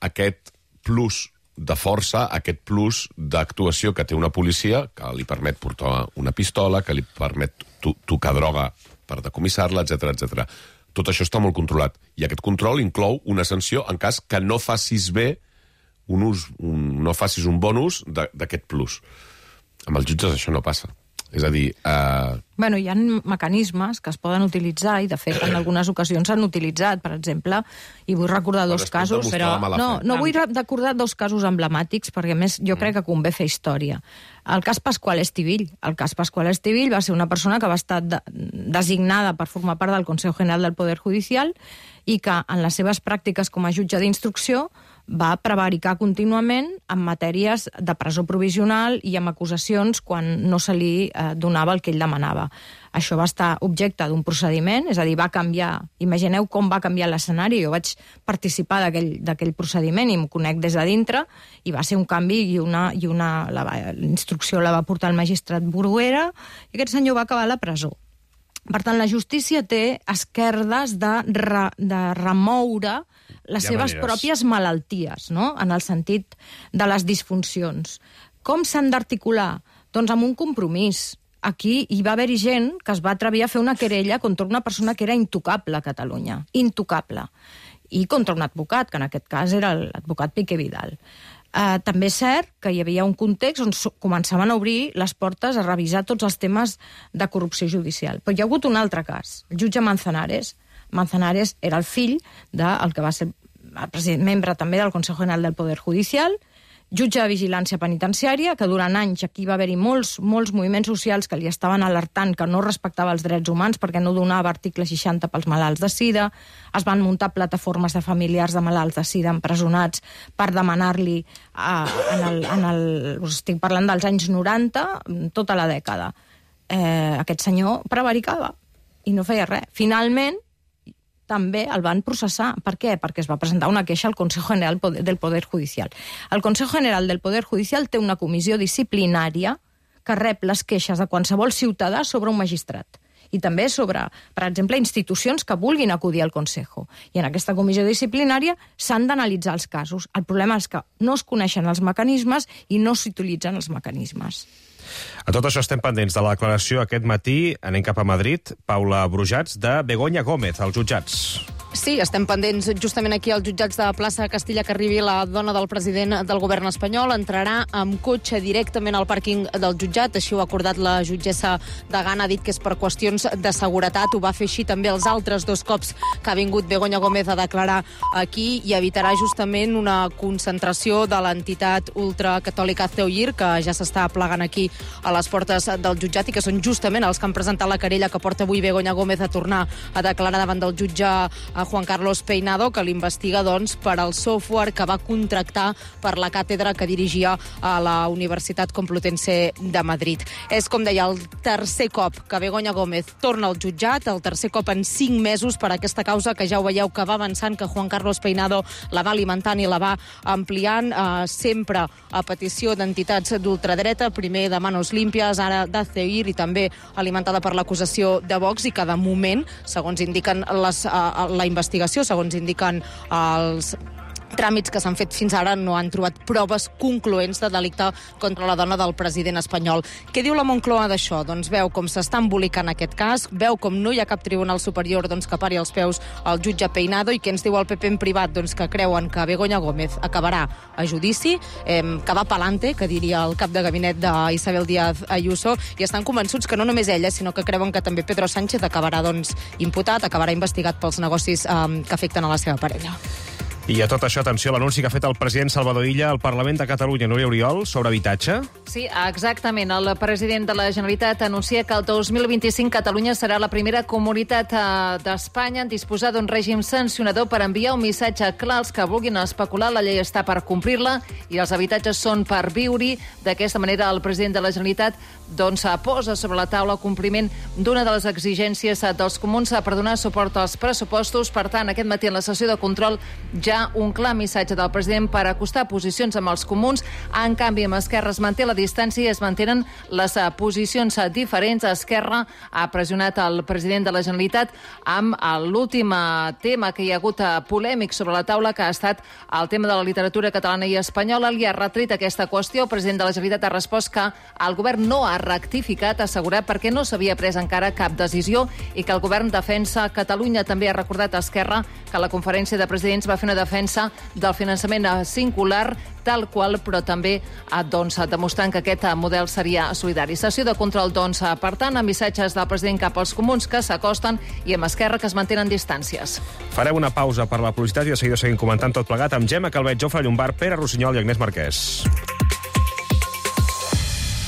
[SPEAKER 11] aquest plus de força, aquest plus d'actuació que té una policia, que li permet portar una pistola, que li permet tocar droga per decomissar-la, etc. Tot això està molt controlat. I aquest control inclou una sanció en cas que no facis bé no facis un bon ús d'aquest plus. Amb els jutges això no passa. És a dir...
[SPEAKER 10] Hi ha mecanismes que es poden utilitzar i, de fet, en algunes ocasions s'han utilitzat. Per exemple, i vull recordar dos casos... No vull recordar dos casos emblemàtics, perquè, a més, jo crec que convé fer història. El cas Pascual Estivill. El cas Pascual Estivill va ser una persona que va estar designada per formar part del Consejo General del Poder Judicial i que, en les seves pràctiques com a jutge d'instrucció, va prevaricar contínuament en matèries de presó provisional i amb acusacions quan no se li donava el que ell demanava. Això va estar objecte d'un procediment, és a dir, va canviar... Imagineu com va canviar l'escenari. Jo vaig participar d'aquell procediment i m'ho conec des de dintre, i va ser un canvi i la instrucció la va portar el magistrat Bruguera, i aquest senyor va acabar a la presó. Per tant, la justícia té esquerdes de remoure les seves pròpies malalties, no?, en el sentit de les disfuncions. Com s'han d'articular? Doncs amb un compromís. Aquí hi va haver gent que es va atrevir a fer una querella contra una persona que era intocable a Catalunya. Intocable. I contra un advocat, que en aquest cas era l'advocat Piqué Vidal. També és cert que hi havia un context on començaven a obrir les portes a revisar tots els temes de corrupció judicial. Però hi ha hagut un altre cas. El jutge Manzanares. Manzanares era el fill del que va ser membre també del Consejo General del Poder Judicial, jutge de vigilància penitenciària, que durant anys aquí va haver-hi molts moviments socials que li estaven alertant que no respectava els drets humans perquè no donava article 60 pels malalts de sida. Es van muntar plataformes de familiars de malalts de sida empresonats per demanar-li, estic parlant dels anys 90, tota la dècada. Aquest senyor prevaricava i no feia res. Finalment, també el van processar. Per què? Perquè es va presentar una queixa al Consejo General del Poder Judicial. El Consejo General del Poder Judicial té una comissió disciplinària que rep les queixes de qualsevol ciutadà sobre un magistrat. I també sobre, per exemple, institucions que vulguin acudir al Consejo. I en aquesta comissió disciplinària s'han d'analitzar els casos. El problema és que no es coneixen els mecanismes i no s'utilitzen els mecanismes.
[SPEAKER 2] A tot això estem pendents de la declaració aquest matí. Anem cap a Madrid. Paula Brujats, de Begoña Gómez, als jutjats.
[SPEAKER 1] Sí, estem pendents justament aquí als jutjats de Plaça Castilla que arribi la dona del president del govern espanyol. Entrarà amb cotxe directament al pàrquing del jutjat. Així ho ha acordat la jutgessa Degana. Ha dit que és per qüestions de seguretat. Ho va fer així també els altres 2 cops que ha vingut Begoña Gómez a declarar aquí i evitarà justament una concentració de l'entitat ultracatòlica CEUIR, que ja s'està plegant aquí a les portes del jutjat i que són justament els que han presentat la querella que porta avui Begoña Gómez a tornar a declarar davant del jutge a Juan Carlos Peinado, que l'investiga per al software que va contractar per la càtedra que dirigia a la Universitat Complutense de Madrid. És, com deia, el tercer cop que Begoña Gómez torna al jutjat, el tercer cop en 5 mesos per aquesta causa que ja ho veieu que va avançant, que Juan Carlos Peinado la va alimentant i la va ampliant, sempre a petició d'entitats d'ultradreta, primer de Manos Limpias, ara de CEUIR i també alimentada per l'acusació de Vox, i que de moment, segons indiquen la investigació, segons indiquen els tràmits que s'han fet fins ara, no han trobat proves concloents de delicte contra la dona del president espanyol. Què diu la Moncloa d'això? Doncs veu com s'està embolicant aquest cas, veu com no hi ha cap tribunal superior que pari els peus al jutge Peinado, i què ens diu el PP en privat? Doncs que creuen que Begoña Gómez acabarà a judici, que va pa'lante, que diria el cap de gabinet d'Isabel Díaz Ayuso, i estan convençuts que no només ella, sinó que creuen que també Pedro Sánchez acabarà imputat, acabarà investigat pels negocis que afecten a la seva parella.
[SPEAKER 2] I a tot això, atenció, l'anunci que ha fet el president Salvador Illa al Parlament de Catalunya, Núria Oriol, sobre habitatge.
[SPEAKER 14] Sí, exactament. El president de la Generalitat anuncia que el 2025 Catalunya serà la primera comunitat d'Espanya en disposar d'un règim sancionador per enviar un missatge clar als que vulguin especular. La llei està per complir-la i els habitatges són per viure-hi. D'aquesta manera, el president de la Generalitat posa sobre la taula el compliment d'una de les exigències dels comuns per donar suport als pressupostos. Per tant, aquest matí en la sessió de control ja un clar missatge del president per acostar posicions amb els comuns. En canvi, amb Esquerra es manté la distància i es mantenen les posicions diferents. Esquerra ha pressionat el president de la Generalitat amb l'últim tema que hi ha hagut polèmic sobre la taula, que ha estat el tema de la literatura catalana i espanyola. Li ha retret aquesta qüestió. El president de la Generalitat ha respost que el govern no ha rectificat, assegurat, perquè no s'havia pres encara cap decisió i que el govern defensa Catalunya. També ha recordat a Esquerra que la conferència de presidents va fer una defensa del finançament singular tal qual, però també demostrant que aquest model seria solidari. Sessió de control, per tant, amb missatges del president cap als comuns que s'acosten i amb Esquerra que es mantenen distàncies.
[SPEAKER 2] Farem una pausa per la publicitat i de seguida seguim comentant tot plegat amb Gemma Calvet, Jofre Llombart, Pere Rossinyol i Agnès Marquès.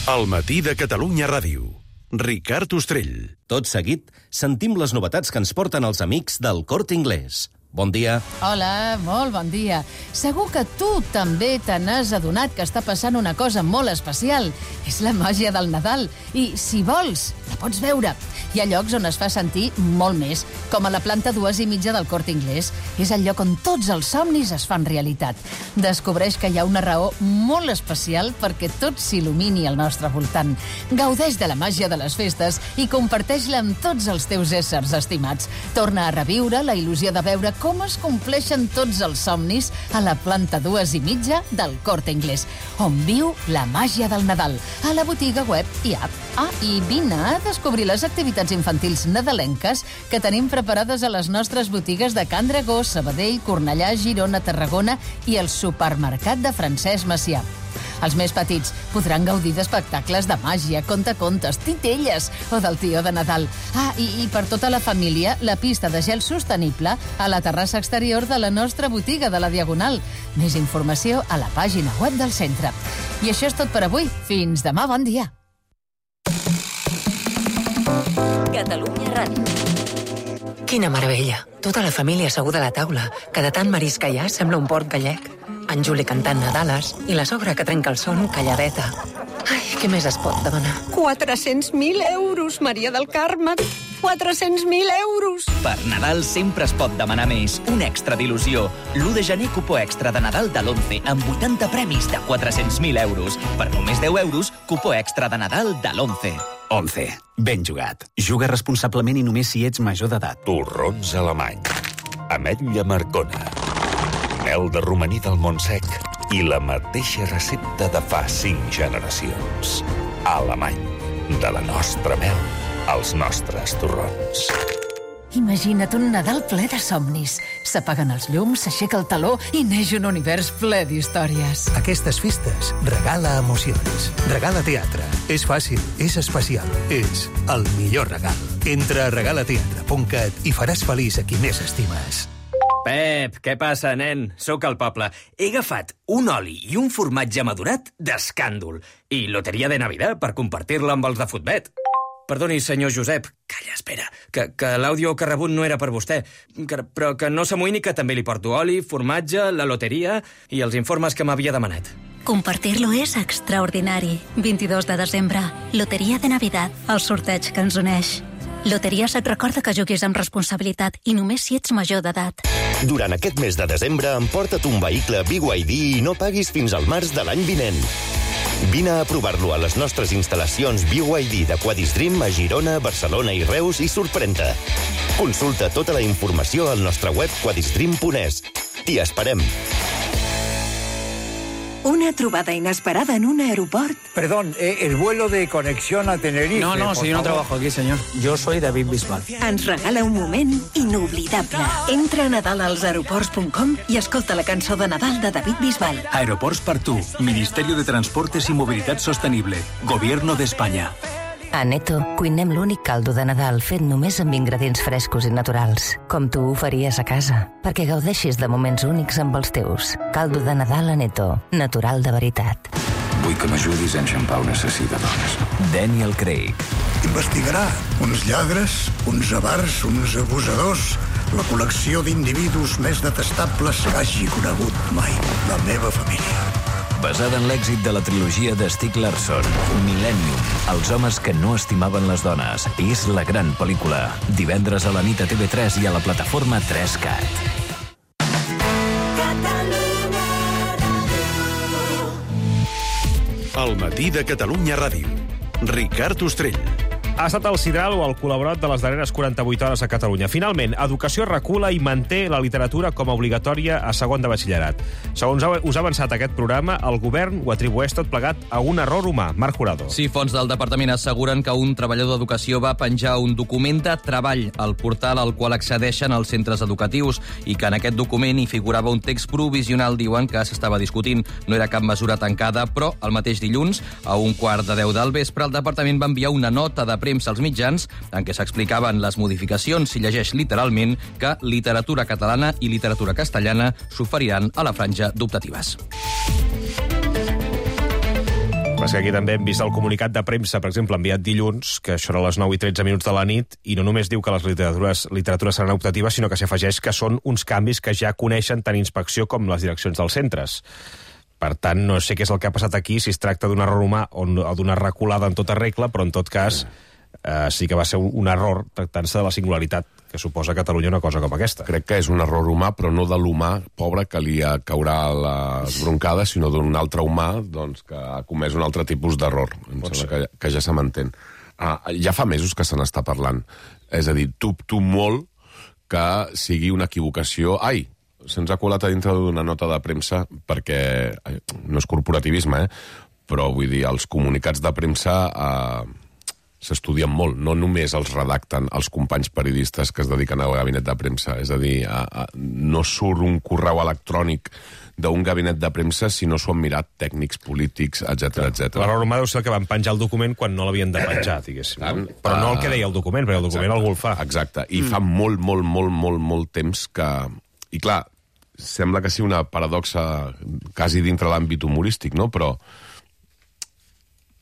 [SPEAKER 15] El matí de Catalunya Ràdio. Ricard Ostrell.
[SPEAKER 16] Tot seguit, sentim les novetats que ens porten els amics del Corte Inglés. Bon dia.
[SPEAKER 17] Hola, molt bon dia. Segur que tu també te n'has adonat que està passant una cosa molt especial. És la màgia del Nadal. I, si vols, la pots veure. Hi ha llocs on es fa sentir molt més, com a la planta 2,5 del Corte Inglés. És el lloc on tots els somnis es fan realitat. Descobreix que hi ha una raó molt especial perquè tot s'il·lumini al nostre voltant. Gaudeix de la màgia de les festes i comparteix-la amb tots els teus éssers estimats. Torna a reviure la il·lusió de veure com es compleixen tots els somnis a la planta 2,5 del Corte Inglés, on viu la màgia del Nadal, a la botiga web i app. I vine a descobrir les activitats infantils nadalenques que tenim preparades a les nostres botigues de Can Dragó, Sabadell, Cornellà, Girona, Tarragona i el supermercat de Francesc Macià. Els més petits podran gaudir d'espectacles de màgia, contacontes, titelles o del tió de Nadal. I per tota la família, la pista de gel sostenible a la terrassa exterior de la nostra botiga de la Diagonal. Més informació a la pàgina web del centre. I això és tot per avui. Fins demà, bon dia.
[SPEAKER 18] Catalunya Ràdio. Quina meravella. Tota la família asseguda a la taula, que de tant marisc que hi ha sembla un port gallec. En Juli cantant Nadales i la sogra que trenca el son calladeta. Ai, què més es pot demanar?
[SPEAKER 19] 400.000 euros, Maria del Carme. 400.000 euros.
[SPEAKER 20] Per Nadal sempre es pot demanar més. Un extra d'il·lusió. L'1 de gener, cupó extra de Nadal de l'11 amb 80 premis de 400.000 euros. Per només 10 euros, cupó extra de Nadal de l'11.
[SPEAKER 21] 11. Ben jugat. Juga responsablement i només si ets major d'edat.
[SPEAKER 15] Torrons Alemany. Ametlla Marcona. Mel de romaní del Montsec i la mateixa recepta de fa 5 generacions. Alemany. De la nostra mel als nostres torrons.
[SPEAKER 17] Imagina't un Nadal ple de somnis. S'apaguen els llums, s'aixeca el teló i neix un univers ple d'històries.
[SPEAKER 3] Aquestes festes regala emocions. Regala teatre. És fàcil, és especial, és el millor regal. Entra a regalateatre.cat i faràs feliç a qui més estimes.
[SPEAKER 22] Pep, què passa, nen? Sóc al poble. He agafat un oli i un formatge madurat d'escàndol i loteria de Navidad per compartir-la amb els de Futbet. Perdoni, senyor Josep. Calla, espera, que l'àudio que ha rebut no era per vostè, però que no s'amoïni que també li porto oli, formatge, la loteria i els informes que m'havia demanat.
[SPEAKER 23] Compartir-lo és extraordinari. 22 de desembre, Loteria de Navidad, el sorteig que ens uneix. Loteries et recorda que juguis amb responsabilitat i només si ets major d'edat.
[SPEAKER 24] Durant aquest mes de desembre, emporta't un vehicle BYD i no paguis fins al març de l'any vinent. Vine a provar-lo a les nostres instal·lacions BYD de Quadistream a Girona, Barcelona i Reus i sorprèn-te. Consulta tota la informació al nostre web quadistream.es. T'hi esperem.
[SPEAKER 25] Una trobada inesperada en un aeroport.
[SPEAKER 26] Perdón, el vuelo de conexión a Tenerife.
[SPEAKER 27] No, si yo no trabajo aquí, señor. Yo soy David Bisbal.
[SPEAKER 25] Ens regala un moment inoblidable. Entra a nadalaelsaeroports.com i escolta la cançó de Nadal de David Bisbal.
[SPEAKER 21] Aeroports per tu. Ministerio de Transportes y Movilidad Sostenible. Gobierno de España.
[SPEAKER 28] A Neto cuinem l'únic caldo de Nadal fet només amb ingredients frescos i naturals, com tu ho faries a casa, perquè gaudeixis de moments únics amb els teus. Caldo de Nadal a Neto, natural de veritat.
[SPEAKER 29] Vull que m'ajudis a enxampar un assassí de dones.
[SPEAKER 21] Daniel Craig.
[SPEAKER 30] Investigarà uns lladres, uns avars, uns abusadors, la col·lecció d'individus més detestables que hagi conegut mai la meva família.
[SPEAKER 21] Basada en l'èxit de la trilogia de Stieg Larsson, Millennium, els homes que no estimaven les dones. És la gran pel·lícula. Divendres a la nit a TV3 i a la plataforma 3CAT.
[SPEAKER 31] El matí de Catalunya Ràdio. Ricard Ostrell.
[SPEAKER 2] Ha estat el sidral o el col·laborat de les darreres 48 hores a Catalunya. Finalment, Educació recula i manté la literatura com a obligatòria a segon de batxillerat. Segons us ha avançat aquest programa, el govern ho atribueix tot plegat a un error humà. Marc Jurado.
[SPEAKER 32] Sí, fonts del departament asseguren que un treballador d'educació va penjar un document de treball al portal al qual accedeixen els centres educatius i que en aquest document hi figurava un text provisional, diuen, que s'estava discutint. No era cap mesura tancada, però el mateix dilluns, a 1:15 del vespre, el departament va enviar una nota de premsa als mitjans en què s'explicaven les modificacions, si llegeix literalment, que literatura catalana i literatura castellana s'oferiran a la franja d'optatives.
[SPEAKER 2] Però que aquí també hem vist el comunicat de premsa, per exemple, enviat dilluns, que això era a les 9:13 de la nit, i no només diu que les literatures seran optatives, sinó que s'afegeix que són uns canvis que ja coneixen tant inspecció com les direccions dels centres. Per tant, no sé què és el que ha passat aquí, si es tracta d'un error humà o d'una reculada en tota regla, però en tot cas sí que va ser un error tractant-se de la singularitat que suposa a Catalunya una cosa com aquesta.
[SPEAKER 11] Crec que és un error humà, però no de l'humà pobre que li caurà les broncades, sinó d'un altre humà doncs, que ha comès un altre tipus d'error. Em sembla que ja se m'entén. Ja fa mesos que se n'està parlant. És a dir, dubto molt que sigui una equivocació. Se'ns ha colat a dintre d'una nota de premsa, perquè no és corporativisme, però vull dir, els comunicats de premsa s'estudien molt, no només els redacten els companys periodistes que es dediquen al gabinet de premsa, és a dir, no surt un correu electrònic d'un gabinet de premsa si no s'ho han mirat tècnics, polítics, etc.
[SPEAKER 2] L'error humà deu ser que van penjar el document quan no l'havien de penjar, diguéssim. Però no el que deia el document, perquè el document algú el fa.
[SPEAKER 11] Exacte, i fa molt temps que... I clar, sembla que sigui una paradoxa quasi dintre l'àmbit humorístic, no? Però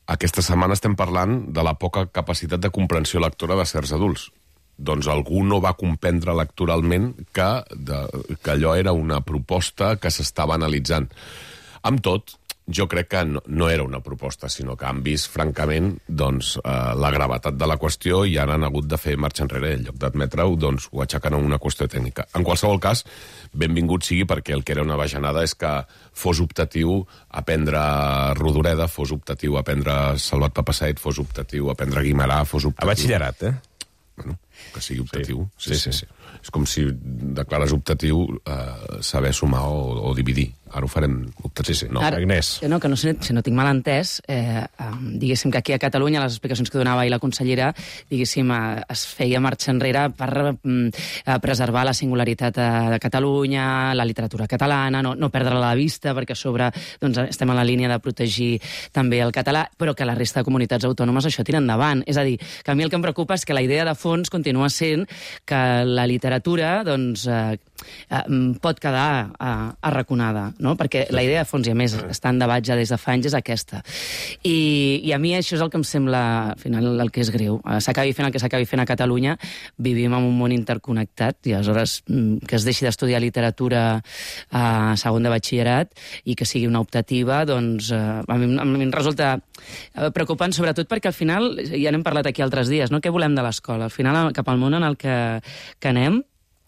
[SPEAKER 11] aquesta setmana estem parlant de la poca capacitat de comprensió lectora de certs adults. Doncs algú no va comprendre electoralment que allò era una proposta que s'estava analitzant. Amb tot, jo crec que no era una proposta, sinó que han vist, francament, doncs, la gravetat de la qüestió i han hagut de fer marxa enrere. En lloc d'admetre-ho, doncs, ho aixequen a una qüestió tècnica. En qualsevol cas, benvingut sigui, perquè el que era una bajanada és que fos optatiu aprendre Rodoreda, fos optatiu aprendre Salvat Papasseit, fos optatiu aprendre Guimarà, fos optatiu...
[SPEAKER 2] A batxillerat,
[SPEAKER 11] Bueno, que sigui optatiu. Sí. És com si declares optatiu saber sumar o dividir. Ara ho farem... Sí.
[SPEAKER 2] No, Agnès.
[SPEAKER 1] No, que si no tinc mal entès, diguéssim que aquí a Catalunya les explicacions que donava ahir la consellera, diguéssim, es feia marxa enrere per preservar la singularitat de Catalunya, la literatura catalana, no perdre-la de vista, perquè a sobre doncs, estem en la línia de protegir també el català, però que la resta de comunitats autònomes això tira endavant. És a dir, que a mi el que em preocupa és que la idea de fons continua sent que la literatura doncs, pot quedar arraconada, no? Perquè la idea de fons, i a més està en debat ja des de fa anys, és aquesta. I a mi això és el que em sembla, al final, el que és greu. S'acabi fent el que s'acabi fent a Catalunya, vivim en un món interconnectat, i aleshores que es deixi d'estudiar literatura a segon de batxillerat i que sigui una optativa, doncs a mi em resulta preocupant, sobretot perquè al final, ja n'hem parlat aquí altres dies, no? Què volem de l'escola? Al final, cap al món en el que anem,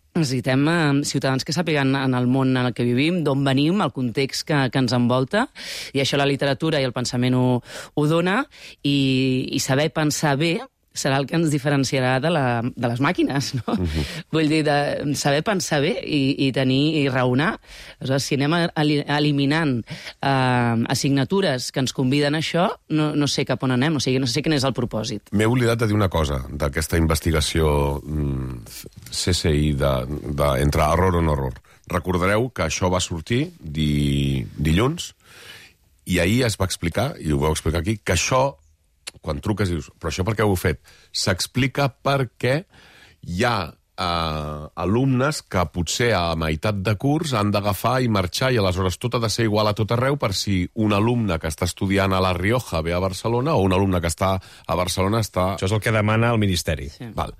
[SPEAKER 1] necessitem ciutadans que sàpiguen en el món en el que vivim, d'on venim, el context que ens envolta, i això la literatura i el pensament ho dona, i saber pensar bé serà el que ens diferenciarà de les màquines, no? Vull dir, de saber pensar bé i tenir i raonar. Aleshores, si anem eliminant assignatures que ens conviden a això, no sé cap on anem, o sigui, no sé quin és el propòsit.
[SPEAKER 11] M'he oblidat de dir una cosa d'aquesta investigació CSI entre error o no error. Recordareu que això va sortir dilluns i ahir es va explicar, i ho vau explicar aquí, que això, quan truques i dius, però això per què ho heu fet? S'explica perquè hi ha alumnes que potser a meitat de curs han d'agafar i marxar, i aleshores tot ha de ser igual a tot arreu per si un alumne que està estudiant a La Rioja ve a Barcelona o un alumne que està a Barcelona està...
[SPEAKER 2] Això és el que demana el Ministeri.
[SPEAKER 1] Sí.
[SPEAKER 11] Val.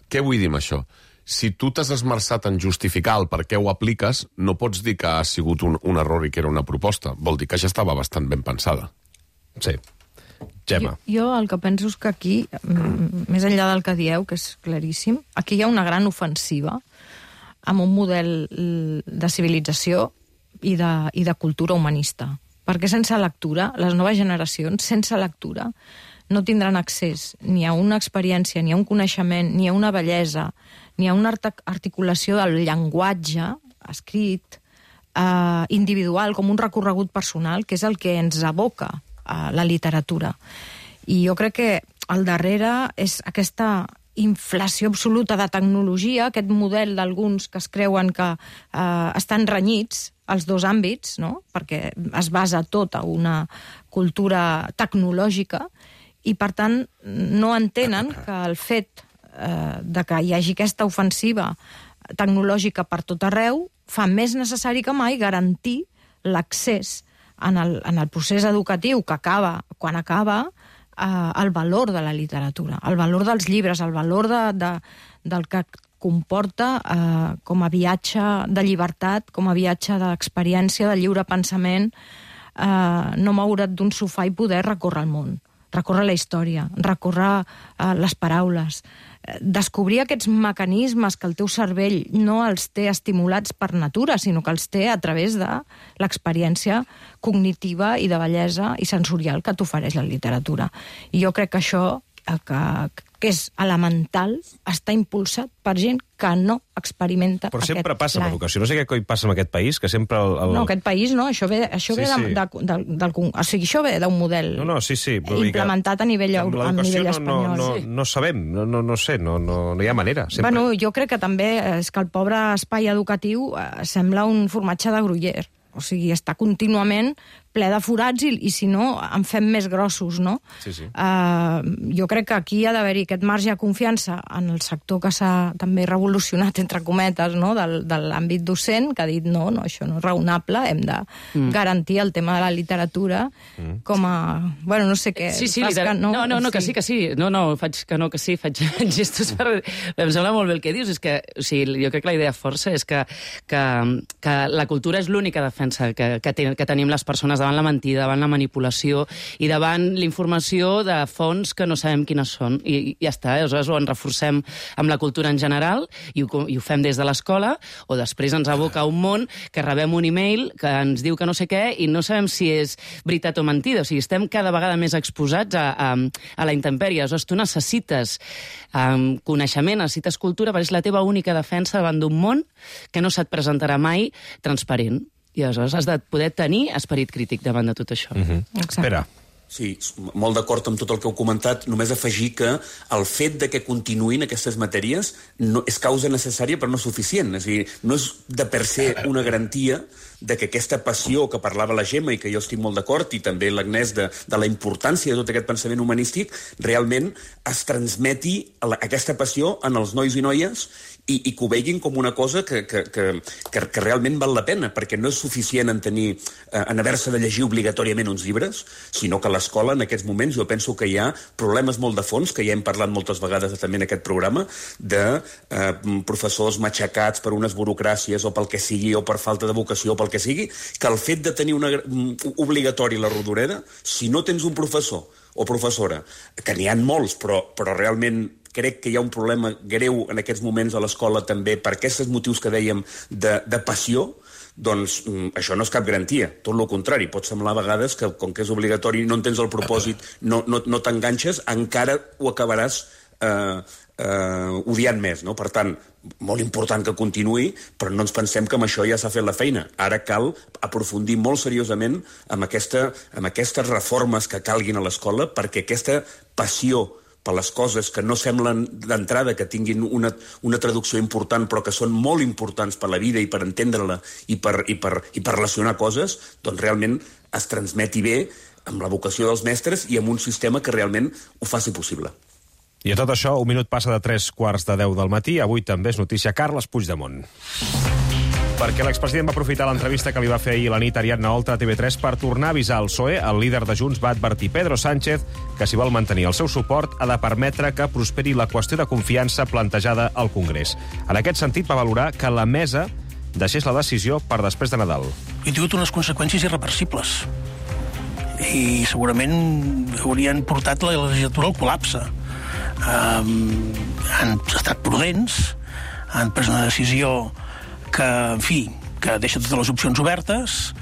[SPEAKER 11] Què vull dir amb això? Si tu t'has esmerçat en justificar el per què ho apliques, no pots dir que ha sigut un error i que era una proposta. Vol dir que ja estava bastant ben pensada.
[SPEAKER 2] Sí. Gemma.
[SPEAKER 4] Jo el que penso és que aquí, més enllà del que dieu, que és claríssim, aquí hi ha una gran ofensiva amb un model de civilització i de cultura humanista. Perquè sense lectura, les noves generacions, sense lectura, no tindran accés ni a una experiència, ni a un coneixement, ni a una bellesa, ni a una articulació del llenguatge escrit, individual, com un recorregut personal, que és el que ens aboca la literatura. I jo crec que al darrere és aquesta inflació absoluta de tecnologia, aquest model d'alguns que es creuen que estan renyits als dos àmbits, no? Perquè es basa tot a una cultura tecnològica i, per tant, no entenen que el fet de que hi hagi aquesta ofensiva tecnològica per tot arreu fa més necessari que mai garantir l'accés en el procés educatiu que acaba, quan acaba, el valor de la literatura, el valor dels llibres, el valor del que comporta com a viatge de llibertat, com a viatge d'experiència, de lliure pensament, no moure't d'un sofà i poder recórrer el món, recórrer la història, recórrer les paraules, descobrir aquests mecanismes que el teu cervell no els té estimulats per natura, sinó que els té a través de l'experiència cognitiva i de bellesa i sensorial que t'ofereix la literatura. I jo crec que això, que és elemental, està impulsat per gent que no experimenta
[SPEAKER 2] però
[SPEAKER 4] aquest
[SPEAKER 2] sempre passa amb l'educació. No sé què coi passa amb aquest país, que sempre...
[SPEAKER 4] No, aquest país no, això ve o sigui, això ve d'un model implementat a nivell espanyol.
[SPEAKER 2] No sabem, no sé, no hi ha manera.
[SPEAKER 4] Bueno, jo crec que també és que el pobre espai educatiu sembla un formatge de Gruyère. O sigui, està contínuament ple de forats i si no, en fem més grossos, no?
[SPEAKER 2] Sí.
[SPEAKER 4] Jo crec que aquí ha d'haver-hi aquest marge de confiança en el sector que s'ha també revolucionat, entre cometes, no? de l'àmbit docent, que ha dit no, això no és raonable, hem de garantir el tema de la literatura com a... Bueno, no sé què...
[SPEAKER 1] Sí, que sí. No, faig gestos per... Em sembla molt bé el que dius, és que o sigui, jo crec que la idea força és que la cultura és l'única defensa que tenim les persones davant la mentida, davant la manipulació i davant l'informació de fonts que no sabem quines són. I ja està, aleshores ho en reforcem amb la cultura en general i ho fem des de l'escola, o després ens aboca a un món que rebem un email que ens diu que no sé què i no sabem si és veritat o mentida. O sigui, estem cada vegada més exposats a la intempèrie. Aleshores, tu necessites coneixement, necessites cultura, perquè és la teva única defensa davant d'un món que no se't presentarà mai transparent. I aleshores has de poder tenir esperit crític davant de tot això.
[SPEAKER 2] Espera.
[SPEAKER 5] Sí, molt d'acord amb tot el que heu comentat. Només afegir que el fet de que continuïn aquestes matèries no és causa necessària però no suficient. És a dir, no és de per se una garantia de que aquesta passió que parlava la Gemma i que jo estic molt d'acord, i també l'Agnès, de la importància de tot aquest pensament humanístic, realment es transmeti aquesta passió en els nois i noies i que ho veguin com una cosa que realment val la pena, perquè no és suficient en haver-se de llegir obligatòriament uns llibres, sinó que a l'escola en aquests moments jo penso que hi ha problemes molt de fons, que ja hem parlat moltes vegades també en aquest programa, de professors matxacats per unes burocràcies o pel que sigui, o per falta de vocació o pel que sigui, que el fet de tenir obligatori la rodoreda, si no tens un professor o professora, que n'hi ha molts, però realment crec que hi ha un problema greu en aquests moments a l'escola també per aquests motius que dèiem de passió, doncs això no és cap garantia. Tot el contrari, pot semblar a vegades que com que és obligatori no en tens el propòsit, no t'enganxes, encara ho acabaràs odiant més, no? Per tant, molt important que continuï, però no ens pensem que amb això ja s'ha fet la feina. Ara cal aprofundir molt seriosament amb aquestes reformes que calguin a l'escola perquè aquesta passió per les coses que no semblen d'entrada que tinguin una traducció important però que són molt importants per la vida i per entendre-la i per relacionar coses, doncs realment es transmeti bé amb la vocació dels mestres i amb un sistema que realment ho faci possible.
[SPEAKER 2] I a tot això, un minut passa de 3:45 del matí. Avui també és notícia Carles Puigdemont. Perquè l'expresident va aprofitar l'entrevista que li va fer ahir la nit Ariadna Oltra a TV3 per tornar a avisar el PSOE. El líder de Junts va advertir Pedro Sánchez que si vol mantenir el seu suport ha de permetre que prosperi la qüestió de confiança plantejada al Congrés. En aquest sentit va valorar que la mesa deixés la decisió per després de Nadal.
[SPEAKER 6] Ha tingut unes conseqüències irreversibles i segurament haurien portat la legislatura al col·lapse. Han estat prudents, han pres una decisió que, en fi, que deixa totes les opcions obertes,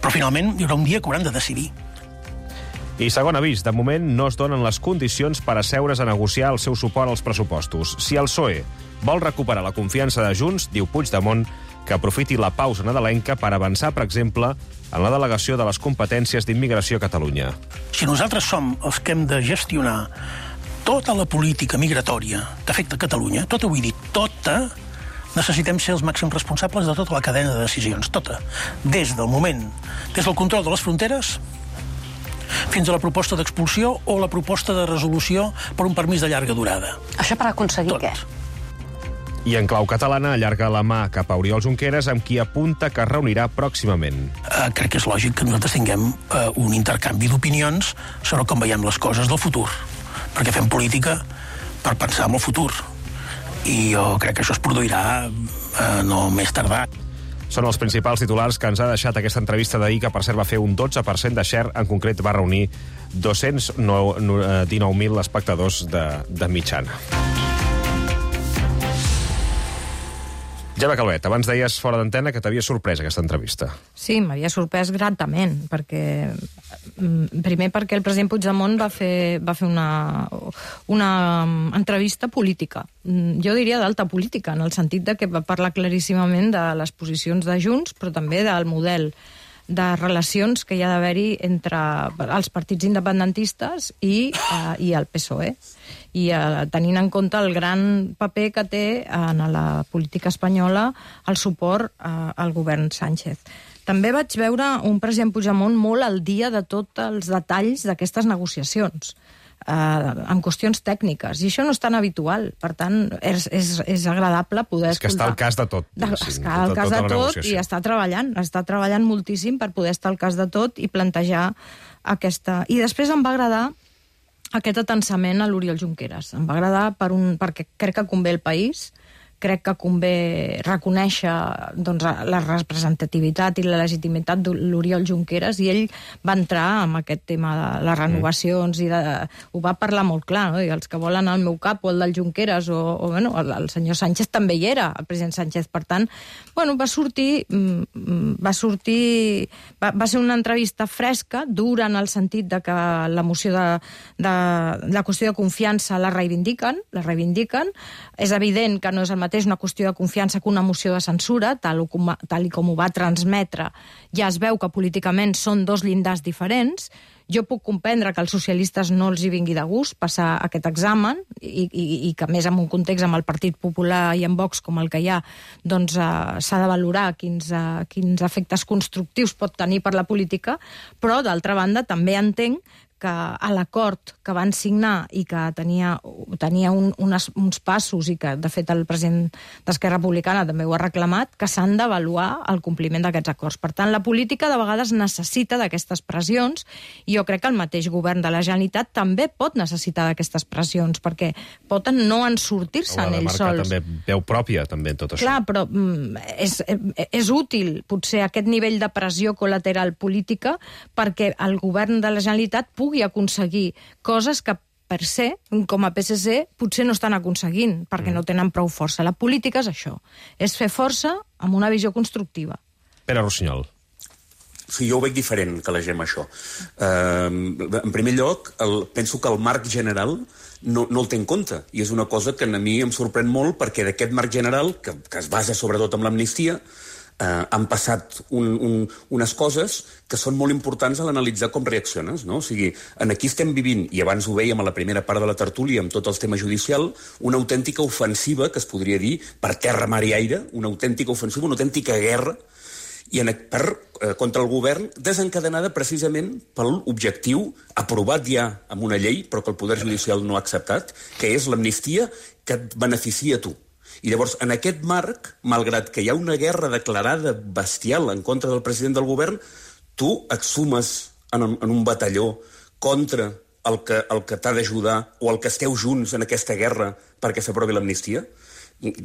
[SPEAKER 6] però finalment hi haurà un dia que hauran de decidir.
[SPEAKER 2] I segon avís, de moment no es donen les condicions per asseure's a negociar el seu suport als pressupostos. Si el PSOE vol recuperar la confiança de Junts, diu Puigdemont, que aprofiti la pausa nadalenca per avançar, per exemple, en la delegació de les competències d'immigració a Catalunya.
[SPEAKER 6] Si nosaltres som els que hem de gestionar tota la política migratòria que afecta Catalunya, tota, vull dir, tota, necessitem ser els màxims responsables de tota la cadena de decisions, tota. Des del control de les fronteres fins a la proposta d'expulsió o la proposta de resolució per un permís de llarga durada.
[SPEAKER 7] Això per aconseguir què?
[SPEAKER 2] I en clau catalana allarga la mà cap a Oriol Junqueras, amb qui apunta que es reunirà pròximament.
[SPEAKER 6] Crec que és lògic que nosaltres tinguem un intercanvi d'opinions sobre com veiem les coses del futur, perquè fem política per pensar en el futur. I jo crec que això es produirà no més tardar.
[SPEAKER 2] Són els principals titulars que ens ha deixat aquesta entrevista d'ahir, que per cert va fer un 12% de share, en concret va reunir 219.000 espectadors de mitjana. Gemma Calvet, abans deies fora d'antena que t'havia sorprès aquesta entrevista.
[SPEAKER 4] Sí, m'havia sorprès gratament, primer perquè el president Puigdemont va fer una entrevista política. Jo diria d'alta política, en el sentit de que va parlar claríssimament de les posicions de Junts, però també del model de relacions que hi ha d'haver-hi entre els partits independentistes i el PSOE. I tenint en compte el gran paper que té en la política espanyola el suport al govern Sánchez. També vaig veure un president Puigdemont molt al dia de tots els detalls d'aquestes negociacions, en qüestions tècniques, i això no és tan habitual. Per tant, és agradable poder escoltar.
[SPEAKER 2] És que està al cas de tot.
[SPEAKER 4] Està al cas de tot i està treballant moltíssim per poder estar al cas de tot i plantejar aquesta... I després em va agradar aquest atensament a l'Oriol Junqueras. Em va agradar perquè crec que convé el país, crec que convé reconèixer la representativitat i la legitimitat de l'Oriol Junqueras, i ell va entrar amb aquest tema de les renovacions i ho va parlar molt clar, no? I els que volen el meu cap o el del Junqueras el senyor Sánchez també hi era, el president Sánchez. Per tant, va ser una entrevista fresca, dura en el sentit de que la moció de la qüestió de confiança la reivindiquen. És evident que no és el mateix mateix una qüestió de confiança que una moció de censura, tal i com ho va transmetre, ja es veu que políticament són dos llindars diferents. Jo puc comprendre que als socialistes no els hi vingui de gust passar aquest examen i que, més en un context amb el Partit Popular i en Vox com el que hi ha, doncs s'ha de valorar quins efectes constructius pot tenir per la política, però, d'altra banda, també entenc que a l'acord que van signar i que tenia uns passos i que, de fet, el president d'Esquerra Republicana també ho ha reclamat, que s'han d'avaluar el compliment d'aquests acords. Per tant, la política de vegades necessita d'aquestes pressions i jo crec que el mateix govern de la Generalitat també pot necessitar d'aquestes pressions perquè poden no en sortir-se'n ells sols.
[SPEAKER 2] També veu pròpia, també, en tot això.
[SPEAKER 4] Clar, però és útil, potser, aquest nivell de pressió col·lateral política perquè el govern de la Generalitat pugui aconseguir coses que, per se, com a PSC, potser no estan aconseguint, perquè no tenen prou força. La política és això, és fer força amb una visió constructiva.
[SPEAKER 2] Pere Rossinyol.
[SPEAKER 5] Sí, jo ho veig diferent que la gent això. En primer lloc, penso que el marc general no el té en compte, i és una cosa que a mi em sorprèn molt, perquè d'aquest marc general, que es basa sobretot en l'amnistia, han passat unes coses que són molt importants a l'analitzar com reacciones, no? O sigui, aquí estem vivint, i abans ho vèiem a la primera part de la tertúlia amb tot el tema judicial, una autèntica ofensiva, que es podria dir, per terra, mar i aire, una autèntica ofensiva, una autèntica guerra, contra el govern, desencadenada precisament per l'objectiu aprovat ja amb una llei, però que el Poder Judicial no ha acceptat, que és l'amnistia que et beneficia a tu. I llavors, en aquest marc, malgrat que hi ha una guerra declarada bestial en contra del president del govern, tu et sumes en un batalló contra el que t'ha d'ajudar o el que esteu junts en aquesta guerra perquè s'aprovi l'amnistia?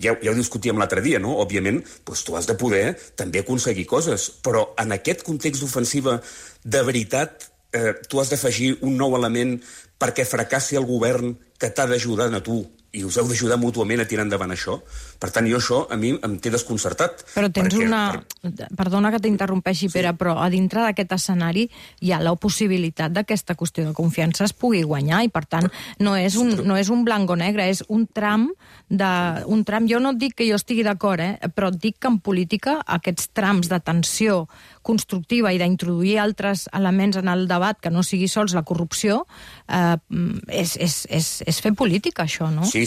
[SPEAKER 5] Ja ho discutíem l'altre dia, no? Òbviament, tu has de poder també aconseguir coses, però en aquest context d'ofensiva, de veritat, tu has d'afegir un nou element perquè fracassi el govern que t'ha d'ajudar a tu, i us heu d'ajudar mútuament a tirar endavant això. Per tant, això a mi em té desconcertat.
[SPEAKER 4] Però tens Perdona que t'interrompeixi, Pere, però a dintre d'aquest escenari hi ha la possibilitat d'aquesta qüestió de confiança es pugui guanyar i, per tant, no és un blanc o negre, és un tram. Jo no et dic que jo estigui d'acord, però et dic que en política aquests trams de tensió constructiva i d'introduir altres elements en el debat que no sigui sols la corrupció, és fer política, això, no?
[SPEAKER 5] Sí,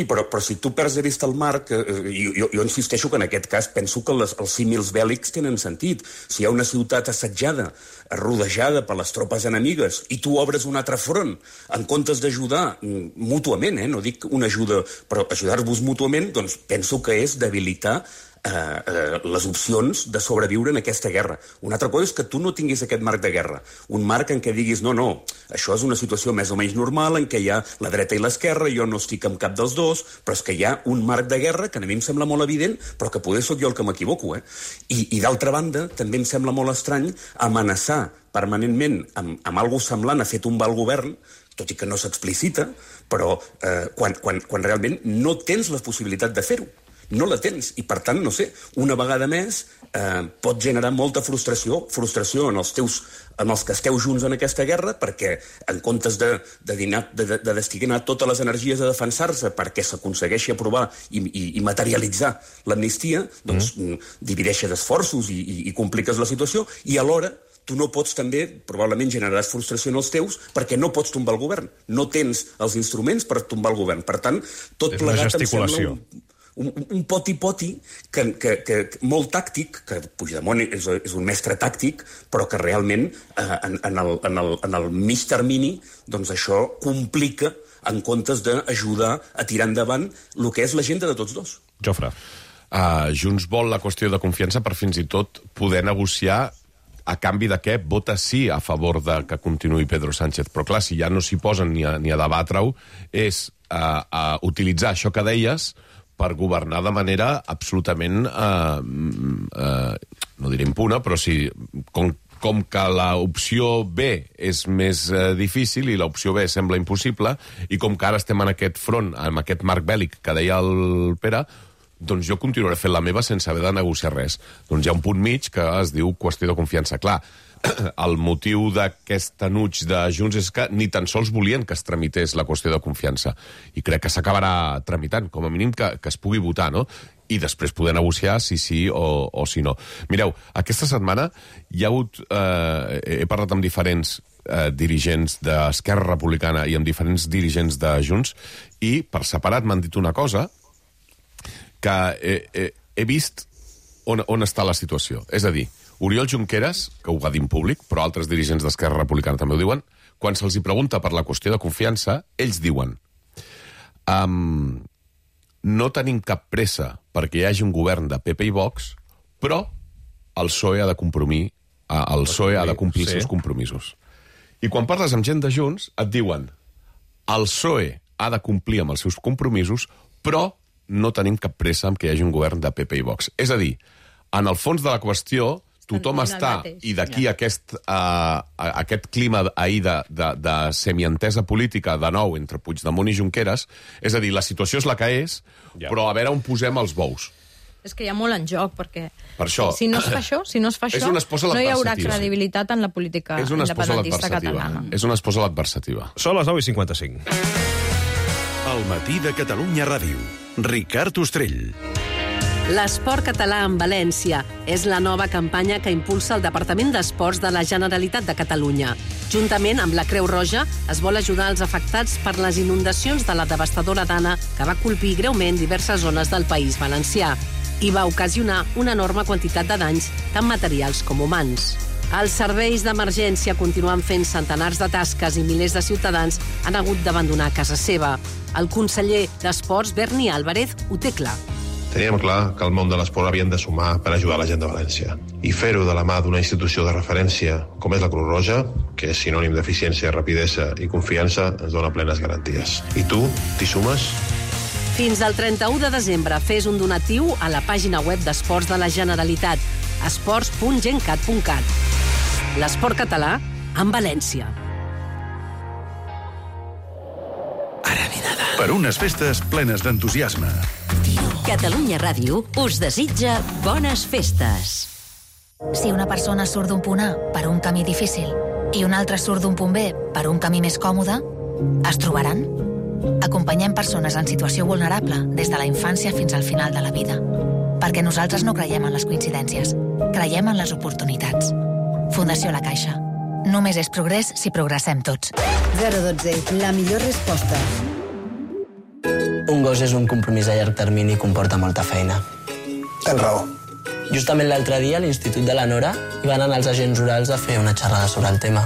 [SPEAKER 5] però si tu perds de vista el marc, jo insisteixo que en aquest cas penso que els símils bèl·lics tenen sentit. Si hi ha una ciutat assetjada, rodejada per les tropes enemigues, i tu obres un altre front, en comptes d'ajudar mútuament, no dic una ajuda, però ajudar-vos mútuament, doncs penso que és debilitar les opcions de sobreviure en aquesta guerra. Una altra cosa és que tu no tinguis aquest marc de guerra, un marc en què diguis no, això és una situació més o menys normal en què hi ha la dreta i l'esquerra, jo no estic amb cap dels dos, però és que hi ha un marc de guerra que a mi em sembla molt evident, però que poder sóc jo el que m'equivoco, I d'altra banda, també em sembla molt estrany amenaçar permanentment amb algo semblant a fer tombar el govern, tot i que no s'explicita, però quan realment no tens la possibilitat de fer-ho. No la tens, i per tant, no sé, una vegada més pot generar molta frustració en els que esteu junts en aquesta guerra, perquè en comptes de destinar totes les energies a defensar-se perquè s'aconsegueixi aprovar i materialitzar l'amnistia, doncs divideixes esforços i compliques la situació, i alhora tu no pots també, probablement generaràs frustració en els teus perquè no pots tombar el govern. No tens els instruments per tombar el govern. Per tant, tot plegat em sembla un poti-poti molt tàctic, que Puigdemont és un mestre tàctic, però que realment en el mig termini doncs això complica en comptes d'ajudar a tirar endavant el que és l'agenda de tots dos.
[SPEAKER 2] Jofre.
[SPEAKER 11] Junts vol la qüestió de confiança per fins i tot poder negociar a canvi de què vota sí a favor de que continuï Pedro Sánchez. Però clar, si ja no s'hi posen ni a debatre-ho, és utilitzar això que deies per governar de manera absolutament, no diré impuna, però sí, com que l'opció B és més difícil i l'opció B sembla impossible, i com que ara estem en aquest front, en aquest marc bèl·lic que deia el Pere, doncs jo continuaré fent la meva sense haver de negociar res. Doncs hi ha un punt mig que es diu qüestió de confiança. Clar, el motiu d'aquest enuig de Junts és que ni tan sols volien que es tramités la qüestió de confiança. I crec que s'acabarà tramitant, com a mínim que es pugui votar, no? I després poder negociar si sí o si no. Mireu, aquesta setmana hi ha hagut... he parlat amb diferents dirigents d'Esquerra Republicana i amb diferents dirigents de Junts i per separat m'han dit una cosa que he vist on està la situació. És a dir, Oriol Junqueras, que ho va dir en públic, però altres dirigents d'Esquerra Republicana també ho diuen, quan se'ls hi pregunta per la qüestió de confiança, ells diuen no tenim cap pressa perquè hi hagi un govern de PP i Vox, però el PSOE ha de complir els seus compromisos. I quan parles amb gent de Junts, et diuen el PSOE ha de complir amb els seus compromisos, però no tenim cap pressa en que hi hagi un govern de PP i Vox. És a dir, en el fons de la qüestió, tothom està, i d'aquí aquest clima ahir de semientesa política de nou entre Puigdemont i Junqueras, és a dir, la situació és la que és, però a veure on posem els bous.
[SPEAKER 4] És que hi ha molt en joc, perquè
[SPEAKER 11] per això,
[SPEAKER 4] si no es fa això, no hi haurà credibilitat en la política independentista catalana.
[SPEAKER 11] És una esposa l'adversativa.
[SPEAKER 2] Són les 9:55.
[SPEAKER 31] El matí de Catalunya Ràdio. Ricard Ostrell.
[SPEAKER 7] L'esport català en València és la nova campanya que impulsa el Departament d'Esports de la Generalitat de Catalunya. Juntament amb la Creu Roja es vol ajudar els afectats per les inundacions de la devastadora Dana que va colpir greument diverses zones del País Valencià i va ocasionar una enorme quantitat de danys, tant materials com humans. Els serveis d'emergència continuen fent centenars de tasques i milers de ciutadans han hagut d'abandonar casa seva. El conseller d'Esports, Berni Álvarez, ho té clar.
[SPEAKER 8] Teníem clar que el món de l'esport havien de sumar per ajudar la gent de València. I fer-ho de la mà d'una institució de referència com és la Creu Roja, que és sinònim d'eficiència, rapidesa i confiança, ens dona plenes garanties. I tu, t'hi sumes?
[SPEAKER 7] Fins al 31 de desembre fes un donatiu a la pàgina web d'Esports de la Generalitat, esports.gencat.cat. L'esport català en València.
[SPEAKER 31] Per unes festes plenes d'entusiasme.
[SPEAKER 25] Catalunya Ràdio us desitja bones festes.
[SPEAKER 9] Si una persona surt d'un punt A per un camí difícil i una altra surt d'un punt B per un camí més còmode, es trobaran? Acompanyem persones en situació vulnerable des de la infància fins al final de la vida. Perquè nosaltres no creiem en les coincidències, creiem en les oportunitats. Fundació La Caixa. Només és progrés si progressem tots.
[SPEAKER 10] 012, la millor resposta.
[SPEAKER 12] Un gos és un compromís a llarg termini i comporta molta feina.
[SPEAKER 10] Tens raó.
[SPEAKER 12] Justament l'altre dia a l'Institut de la Nora hi van anar els agents rurals a fer una xerrada sobre el tema.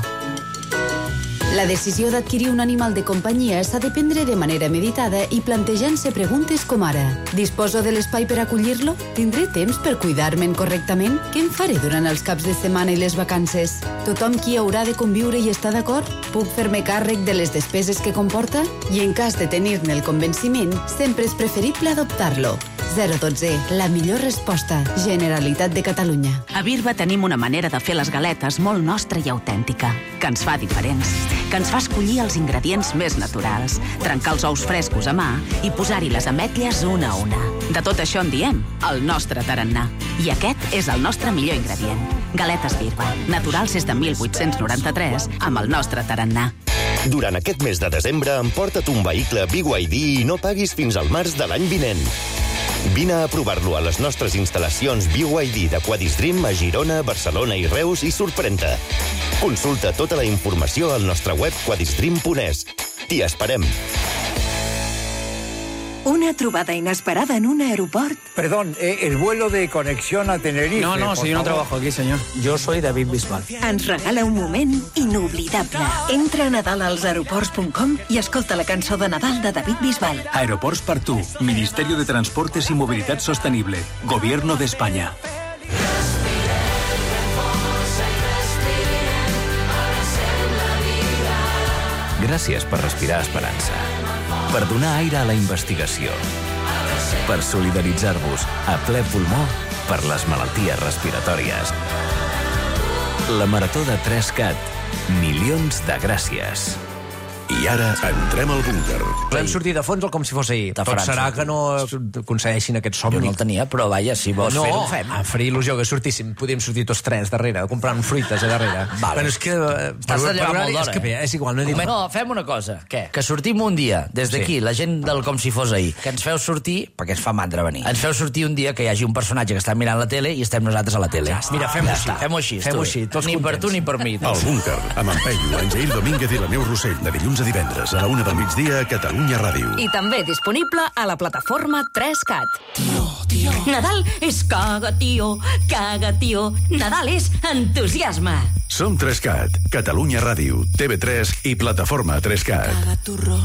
[SPEAKER 10] La decisió d'adquirir un animal de companyia s'ha de prendre de manera meditada i plantejant-se preguntes com ara: disposo de l'espai per acollir-lo? Tindré temps per cuidar-me'n correctament? Què em faré durant els caps de setmana i les vacances? Tothom qui haurà de conviure hi està d'acord? Puc fer-me càrrec de les despeses que comporta? I en cas de tenir-ne el convenciment, sempre és preferible adoptar-lo. 012, la millor resposta. Generalitat de Catalunya.
[SPEAKER 13] A Birba tenim una manera de fer les galetes molt nostra i autèntica, que ens fa diferents, que ens fa escollir els ingredients més naturals, trencar els ous frescos a mà i posar-hi les ametlles una a una. De tot això en diem el nostre tarannà. I aquest és el nostre millor ingredient. Galetes Birba, naturals des de 1893, amb el nostre tarannà.
[SPEAKER 24] Durant aquest mes de desembre, emporta't un vehicle BYD i no paguis fins al març de l'any vinent. Vine a provar-lo a les nostres instal·lacions BYD de Quadistream a Girona, Barcelona i Reus i sorprèn-te. Consulta tota la informació al nostre web quadistream.es. T'hi esperem.
[SPEAKER 25] Una trobada inesperada en un aeroport.
[SPEAKER 26] Perdón, el vuelo de conexión a Tenerife.
[SPEAKER 27] No, si yo no trabajo aquí, señor. Yo soy David Bisbal.
[SPEAKER 25] Ens regala un moment inoblidable. Entra a nadalalsaeroports.com i escolta la cançó de Nadal de David Bisbal.
[SPEAKER 31] Aeroports per tu. Ministerio de Transportes y Movilidad Sostenible. Gobierno de España.
[SPEAKER 21] Gràcies per respirar esperança. Per donar aire a la investigació. Per solidaritzar-vos a ple pulmó per les malalties respiratòries. La Marató de 3CAT. Milions de gràcies.
[SPEAKER 3] I ara entrem al búnquer.
[SPEAKER 14] Vam sortir de fons com si fos ahir. Tot serà que no aconsegueixin aquest somni.
[SPEAKER 15] Jo no el tenia, però vaja, si vols fer-ho, ho fem.
[SPEAKER 14] No, faria il·lusió que sortíssim. Podíem sortir tots tres darrere, comprant fruites a darrere.
[SPEAKER 15] Vale.
[SPEAKER 14] Però és que...
[SPEAKER 15] T'has de llevar molt d'hora,
[SPEAKER 14] És que bé, és igual.
[SPEAKER 15] No, fem una cosa. Què? Que sortim un dia, des d'aquí, la gent del com si fos ahir, que ens feu sortir, perquè ens fa mandra venir, ens feu sortir un dia que hi hagi un personatge que està mirant la tele i estem nosaltres a la tele.
[SPEAKER 14] Mira, fem-ho així.
[SPEAKER 15] Fem-ho així, tots ni per tu ni per mi.
[SPEAKER 3] El búnquer, amb en Peyu, en Jair Domínguez i la Neus Rossell, de dilluns a divendres a la 1 del migdia a Catalunya Ràdio.
[SPEAKER 25] I també disponible a la plataforma 3CAT.
[SPEAKER 16] Tio. Nadal és caga, tio. Nadal és entusiasme.
[SPEAKER 3] Som 3CAT, Catalunya Ràdio, TV3 i plataforma 3CAT.
[SPEAKER 16] Caga turro.